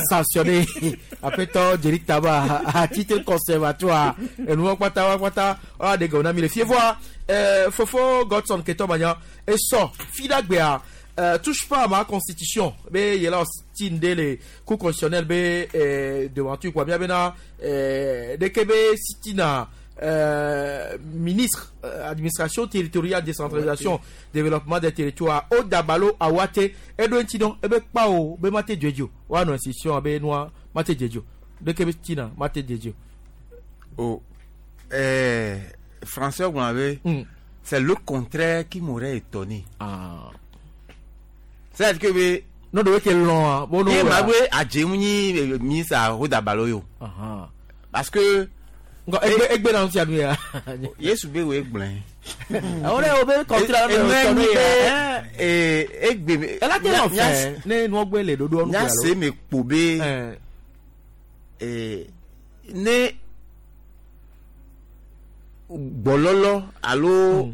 sanctionner aƒetɔ Jerry Taba à titre conservatoire enuwo kpata wa kpata wa ɖe gɔme na mi le fie voa fofo Godson Ketɔ Manya esɔ fi ɖagbea. Euh, touche pas à ma constitution be yela tinde le cour constitutionnel be euh, devanture quoi bien bena euh, deke be sitina euh, ministre euh, administration territoriale décentralisation ouais, développement des territoires o dabalo awate edo ntino ebe pa o be mate jejo wa no institution be noa mate jejo deke be tina mate jejo oh euh français vous avez mm. C'est le contraire qui m'aurait étonné. Ah. C'est-à-dire que we non de que long bon non ma we adjemuni ministre à Rodabalo yo. Parce que egbe egbe na ntia nu ya. Yesu be we gblen. On est obé contraire na nu ya. Eh egbe elle a été en fait ne nu ogbe le dodo onu ya. Se me pobe. Eh ne bololo alo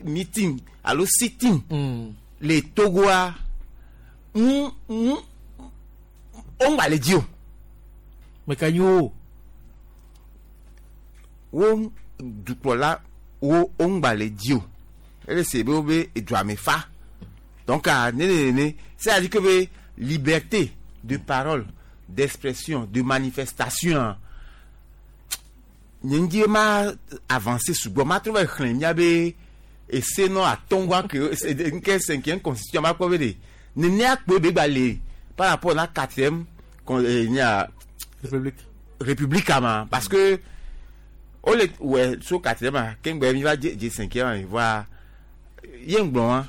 meeting alo sitting les Togoa on on va les dire mais kanyo on du là on va les dire et c'est be et doit me fa donc à né né c'est à dire que liberté de parole, d'expression, de manifestation n'ndi ma avancé sous ma trouvé khlen be et c'est non à tongwa que c'est une cinquième constitution ma quoi veut ne ne a pe be balé par rapport à la quatrième république république ama parce que on le ouais sur quatrième kengbe mi va je cinquième voit yengbon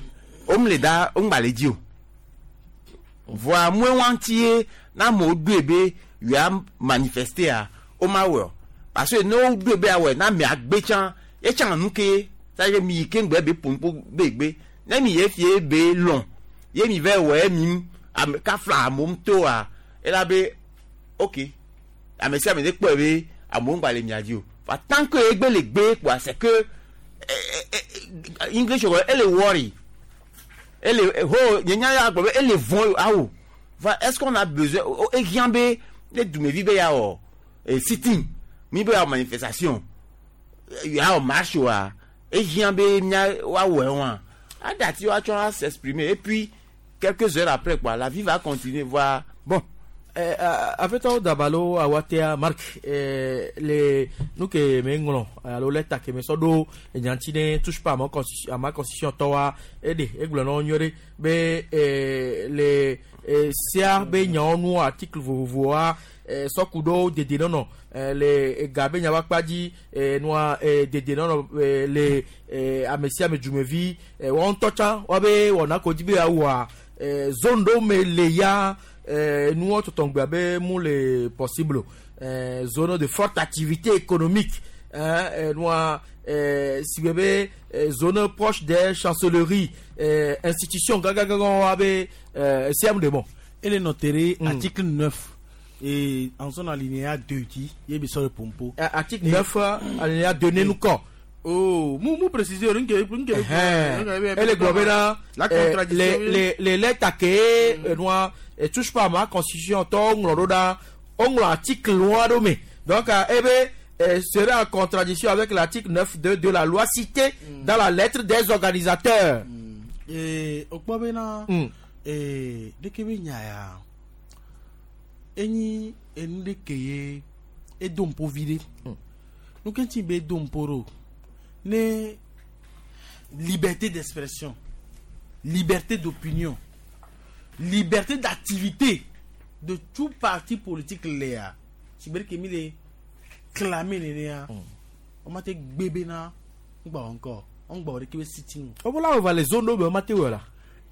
on me le da on ba le dio voit moins entier na mo do be you a manifester a o ma wo parce que no do be a we na mi agbe chan e chan nu ke ça ye mi kengbe be pompo be gbe na mi ye fie be long ye mi ve we mi am ka fla mom to a e la be OK a me si a me de po be a mo ngba le mi adio fa tant que egbe le gbe quoi c'est que English elle est worry elle est ho nya ya gbo elle est von awo va est-ce qu'on a besoin e giambe le dumevi be ya o e sitting mi be ya manifestation ya o marche wa e giambe nya wa we wa adati wa tchon à s'exprimer et puis quelques heures après quoi la vie va continuer voir bon afetɔ dabalo awatea Marc le nu ke me ŋlɔ alo lɛta ke me sɔ ɖo enyanti ne touche pas à ma constitution à ma constitution tɔwa eɖe egblɔ na wo nyuie ɖe be le sea be nyawo nu article vovovoa sɔku ɖo dedenɔnɔ le ega be nyawo akpa dzi nua dedenɔnɔ le ame sia ame dzumevi wɔn ŋutɔ tsã woabe wɔna ko dzi be yeawɔa zone ɖewo me le ya. Euh, nous tout en mu le possible euh, zone de forte activité économique hein, euh, nous euh, si bébé zone proche des chancelleries euh, institutions gaga gaga abe euh, C M de bon et le notaire mm. Article neuf et en son alinéa deux dit il y a le pompo article neuf alinéa deux nous quoi. Oh, mou mou préciser une une elle est globale la contradiction les les les lettres que noir et touche pas à ma constitution on l'oda on l'article loi mais donc eh ben serait en contradiction avec l'article neuf deux de la loi citée mm. dans la lettre des organisateurs. Et au quoi bena et de que nya eni enu ke e dompo vide nous quand ti be domporo ne liberté d'expression, liberté d'opinion, liberté d'activité de tout parti politique léa. Si bien que mi clamé léa, on m'a dit bébé na, on va encore, on va récupérer sitting. On va là on va les zones on m'a dit là.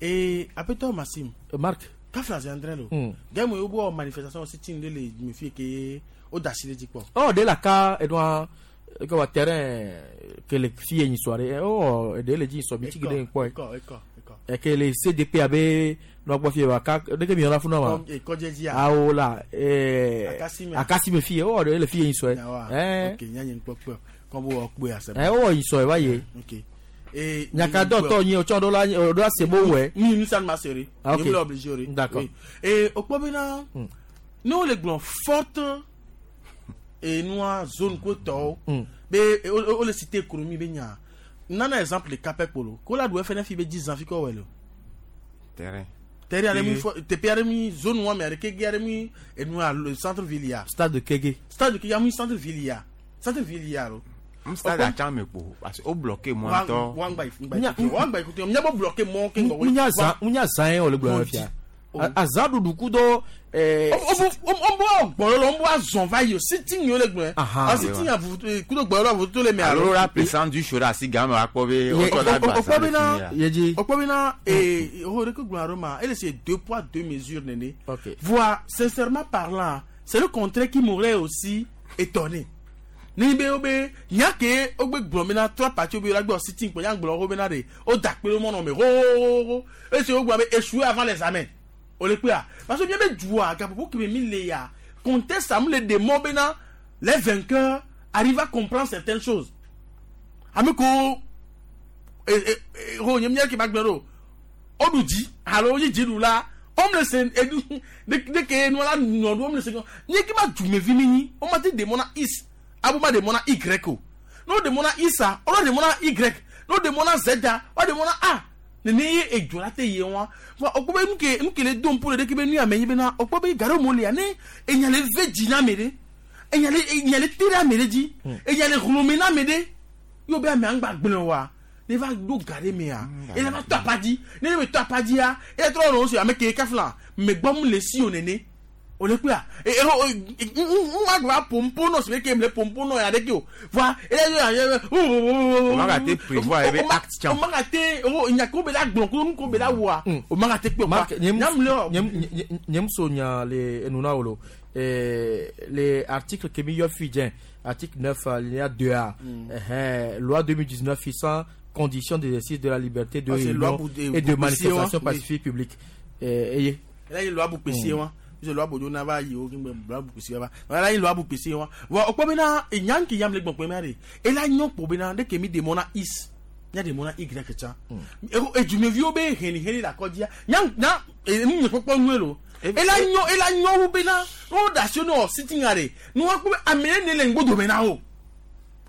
Et après toi Maxime, Marc, quand François André là, gars moi au manifestation sitting de les me fait que au dachile dit quoi. Oh de la cas Edouard comme terrain que les filles une soirée oh de les dit so biti gede quoi et que les C D P A B no quoi fier ka de que mi ona funa ma ah oh là eh akasi me fille oh de les filles une soirée eh OK nya nyen quoi quoi Quand vous avez c'est Eh wo yi so e wa ye. Ok. Et Nyaka do to yin o chon do la do la se bo we. Ni ni ça ne m'a serré. Ah, ok. Ni me obligé. D'accord. Et au quoi bena nous les glands fortes et nous zone ko to. Be o le cité économie be nya. Nana exemple le Capec Polo. Ko la do F N F be dix ans fi ko welo. Terrain. Terrain ale mu T P ale mi zone wa mais ale Kégué ale mi et nous le centre ville ya. Stade de Kégué. Stade de Kégué mi centre ville ya. Centre ville ya lo. Stade a chan me po parce que o bloqué moi to. Wa ngba ngba. Wa ngba écoutez, nya bo bloqué mo ke ngbo. Nya za nya za en o le gbo fia. Azan dudu kudo eh o o bo gboro lo bo azon va yo sitting yo le gbon. A sitting a kudo gboro lo to le me alo. Alors la présence du chora si gamme a ko be o to la gba. O ko be na yeji. O ko be na eh o re ko gbon aroma, elle c'est deux poids deux mesures néné. Voir sincèrement parlant, c'est le contraire qui m'aurait aussi étonné. Ni be obe nyake ogbe gbon me na trois parties obe la gbo sitting po yan gbon ro be na de o dakpe lo mo no me ro ro. E se o gbo be échouer avant les examens. Parce que bien bien pour que me conteste à les démons les vainqueurs arrivent à comprendre certaines choses. Amiko et et qui m'a on nous dit alors on dit nous là on me le et dès que nous là nous on me le ni qui m'a du me vimini on m'a dit démon X abou démon Y nous démon X on démon Y nous démon Z on démon A. Nene ye edzo la te ye wa wa okpo be nuke nuke le dom po le de ke be nu ame nyi be na okpo be garo mo le ya ne enya le ve dzi na ame ɖe enya le enya le te ɖe ame ɖe dzi enya le hlome na ame ɖe yo be ame aŋgba gblẽ wa ne va ɖo ga ɖe mea eye va tɔ apa dzi ne ne be tɔ apa dzia eye trɔ nɔ si ame ke kafla megbɔm le si o nene o le kpea e e o ma gba pompo nɔ si be ke le pompo nɔ ya ɖe ke o voa eye ye o ma ka te prévoir ebe acte tian o ma ka te o nya ko be la gblɔ ko nu ko be la wɔa o ma ka te kpe o nyam le nyam so nya le enuna wolo les articles que mi yo fi djen article neuf alinéa deux A loi deux mille dix-neuf fixant conditions d'exercice de la liberté de réunion et de manifestation pacifique publique eye la loi bu pesi wa je loi bojo na va yi o kin loi bu pesi wa la loi bu pesi wa wa opo be na enyan ki yam le gbon pe ma re e la nyon po be na de ke mi demona is nya demona y cha e ju me vi o be heni heni la kodia nyan na e ni popo nu elo e la nyon e la nyon wo be na o da so no sitting are nu wa ko amene ne le ngbodo me na o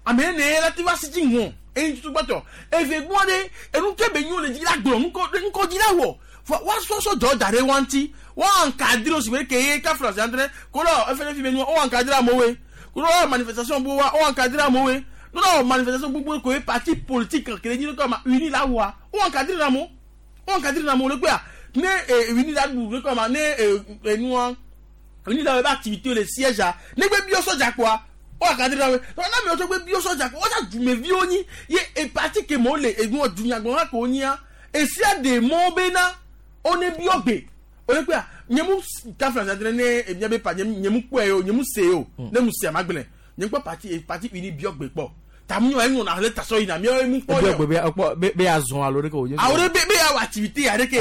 amene ne la ti va sitting won e tu gboto e ve gbon de enu ke be nyon le ji la gbon nko nko ji la wo wa so so jọ dare wanti wa encadrer aussi que ye ka France entre ko lo F N F me o encadrer amowe ko lo manifestation bo wa o encadrer amowe no no manifestation gbogbo ko parti politique que ni ko ma uni la wa o encadrer na mo o encadrer na mo le pe ne uni la bu ko ma ne enu an uni la ba activité le siège a ne gbe bio soja quoi o encadrer na we na mi o so gbe bio soja ko o sa ju me vi oni ye e parti ke mo le egun odunyagbon wa ko oni a e si a de mo be na on est bien on est quoi nyemu ka France entraîné et bien pas nyemu quoi yo nyemu se yo ne mu se magbele nyemu pa parti parti uni biogbe po ta mu yo na le taso ina mi mu po yo be be be azon alo de ko awore be be activité are ke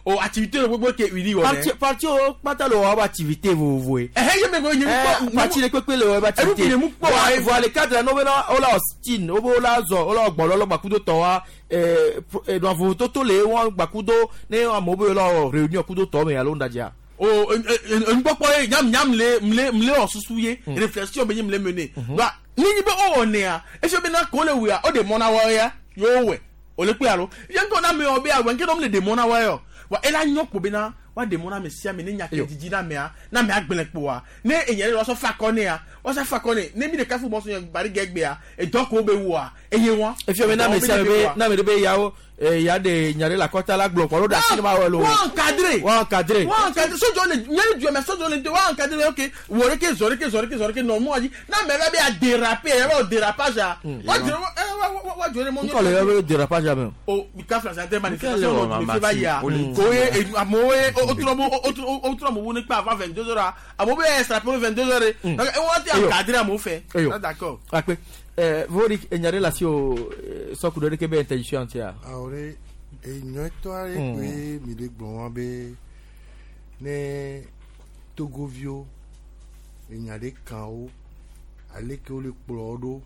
o activité le gbogbo ke uni wo parti parti o pata lo wa activité vous vous eh eh me go nyemu po parti le pepe le wa activité nyemu po voit les cadres no be na o la Austin o bo la zo o la gbolo lo gbakudo to wa eh eh do vo toto le won gbakudo ne amo be lo réunion kudo to me alo ndaja o en popo e nyam nyam le mle mle osusu ye réflexion be nyam le mener ba ni ni be o one a e se be na ko le we a o de mona wa ya yo we o le pe alo ye nko na me o be a we nke no le de mona wa yo wa ela nyo ko be na wa de mona me sia me ne nya ke didi na me a na me agbele po wa ne enye le so fa ko ne a o sa fa ko ne ne mi de kafu mo so yan bari gegbe a e do ko be wo a eye won e fi me na me sia be na me de be yawo eh ya de nyare la kota la gblɔ kɔ lo da sinima wɔ lo. Wọ́n encadré. Wọ́n encadré. Wọ́n encadré sojɔ le nyɛli jɔ mɛ sojɔ le wọ́n encadré ok wòre ke zɔre ke zɔre ke zɔre ke nɔmɔ ayi n'a mɛ bɛ a déraper yɛ bɛ o dérapage a. Wọ́n jɔ ɛ wọ́n jɔ le mɔ. N kɔlɔ yɛ bɛ dérapage a mɛ. O ka fila sante manifestation o tun bɛ ba ya ko ye amewo ye o tura mo o tura mo wuni kpa avant vingt deux heures amewo bɛ extraper vingt deux heures donc wọ́n ti encadré amewo fɛ. D'accord. Akpe. Eh, vori enyare la si o sɔkudo de ke be interdiction tia. Awore enyɔtɔ aɖe koe mi le gblɔ wa be ne Togoviwo enya ɖe kan wo ale ke wo le kplɔ wo ɖo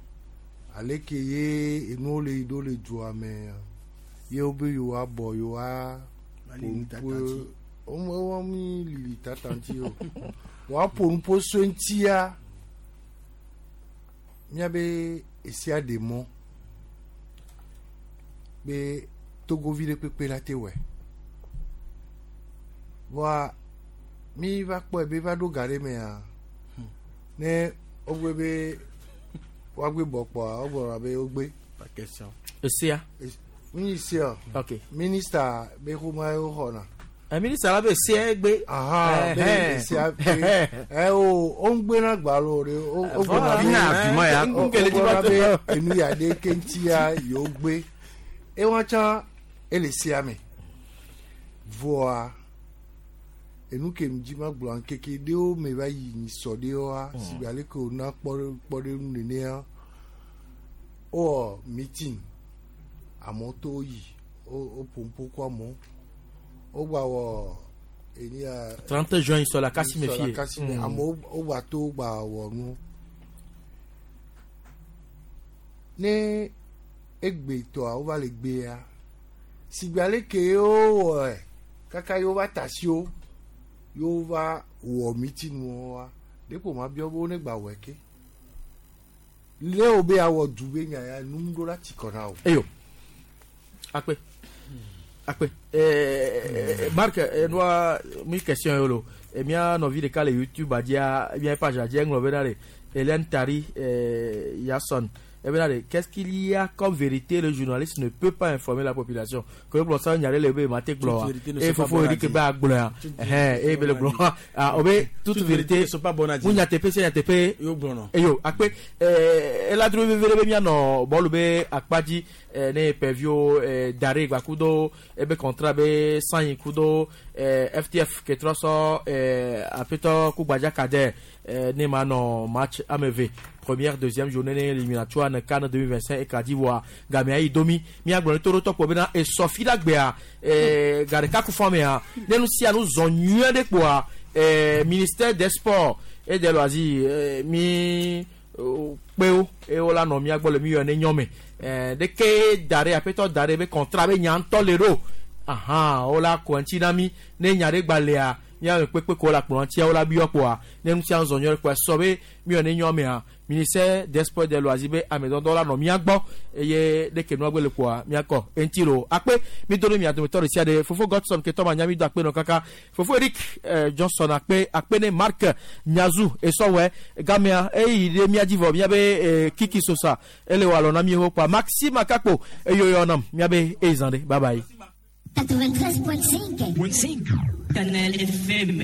Aleke ye enuwo le yi ɖo le dua mea, ye wobe yewoabɔ yewoa ƒo nuƒo womi lili tata ŋuti o. Woaƒo nuƒo so ŋutia, míabe esia ɖe mɔ be togovi ɖe kpekpe la te wɔe. Vɔa mi va kpɔe be va ɖo ga ɖe mea, ne wogbe be woagbe bɔ kpɔa, wogblɔna be wogbe. Pas question. Esia. Mi sia. Ok. Ministre be xɔma ye woxɔna. Ɛ ministre la be esia gbe. Aha, be esia gbe. Ɛ o, o ń gbé na gbalo de, o o gbɔna be. Ina argument ya. O gbɔna be enu ya ɖe ke ŋutia yewo gbe. Ewa tsã ele sia me. Vɔa enu ke mi dzi ma gblɔ ŋkeke ɖewo me va yi nyisɔ ɖewoa, si be ale ke wòna kpɔ kpɔ ɖe nu nenea, wowɔ meeting. Amewo to yi, wo wo ƒo nuƒo kɔ amewo. Wogba wɔ enia. trente juin sɔ la kasi me sɔ la fie. kasi me. Mm. Amewo wogba to wogba wɔ nu. Ne egbe tɔa wova le gbea, si be ale ke wowɔe kaka ye wova ta si wo, ye wova wɔ meeting woa, ɖeko ma biɔ be wo ne gba wɔe ke. Le wo be awɔ du be nya ya nu ɖo la tsi kɔ na wo. Eyo. Akpe. Akpe. Eh, Marc, eh, noa mi question yolo. Eh, mia nɔvi ɖeka le YouTube adzia, mia page adzia eŋlɔ bena ɖe Hélène Tari eh, Yasson. Eh bena ɖe, qu'est-ce qu'il y a comme vérité le journaliste ne peut pas informer la population? Ke gblɔ sa nya ɖe le be ma te gblɔ wa. Toute vérité ne Eh sont pas fofo bonnes à Eric dire. be agblɔ ya. Toute Eh vérité eh be le ne sont gblɔ. pas Ah, o be toute Toute vérité vérité ne sont pas bonnes à dire. Mu nyateƒe sia nyateƒe. Yo gblɔ nɔ. Eyo, akpe eh ela dro veve ɖe be mianɔ bɔlu be akpa dzi eh, ne pɛvio eh, dare gbakudo ebe contrat be sanyi kudo eh, F T F ke trɔ sɔ eh, aƒetɔ kugbadza kadɛ eh, ne ma nɔ match ame eve première deuxième journée ne éliminatoire ne CAN deux mille vingt-cinq ekadi voa gamea yi domi miagblɔ ne to ɖo tɔkpɔ bena esɔ fi la gbea eh, ga ɖeka ku fɔ mea ne nu sia nu zɔ nyuie ɖe kpoa eh, ministère des sports et des loisirs eh, mi kpewo eye wola nɔ mía gbɔ le mi yɔ ne nyɔme ɛɛ ɖeke da ɖe aƒetɔ da ɖe be contrat be nya ŋutɔ le ɖo ahan wola kɔ ŋuti na mi ne nya ɖe gba lea míame kpekpe ko la kplɔ ŋutia wola biɔ kpoa ne nu sia zɔ nyuie kpoa sɔ be mi yɔ ne nyɔmea ministère des sports des loisirs be ame dɔdɔ la nɔ mía gbɔ eye ɖeke nua gbe le kpoa míakɔ eŋuti lo akpe mi do ɖe mia dometɔ ɖe sia ɖe fofo Godson ketɔ ma nya mi do akpe nɔ kaka fofo Eric eh, Johnson akpe akpe ne Marc Nyazu esɔwɛ gamea eyi ɖe mía dzi vɔ míabe eh, Kiki Sosa ele wɔ alɔ na mi ho kpoa Maxime Akakpo eyoyɔ nam míabe eyizan ɖe bye bye. quatre-vingt-treize point cinq. Canal F M.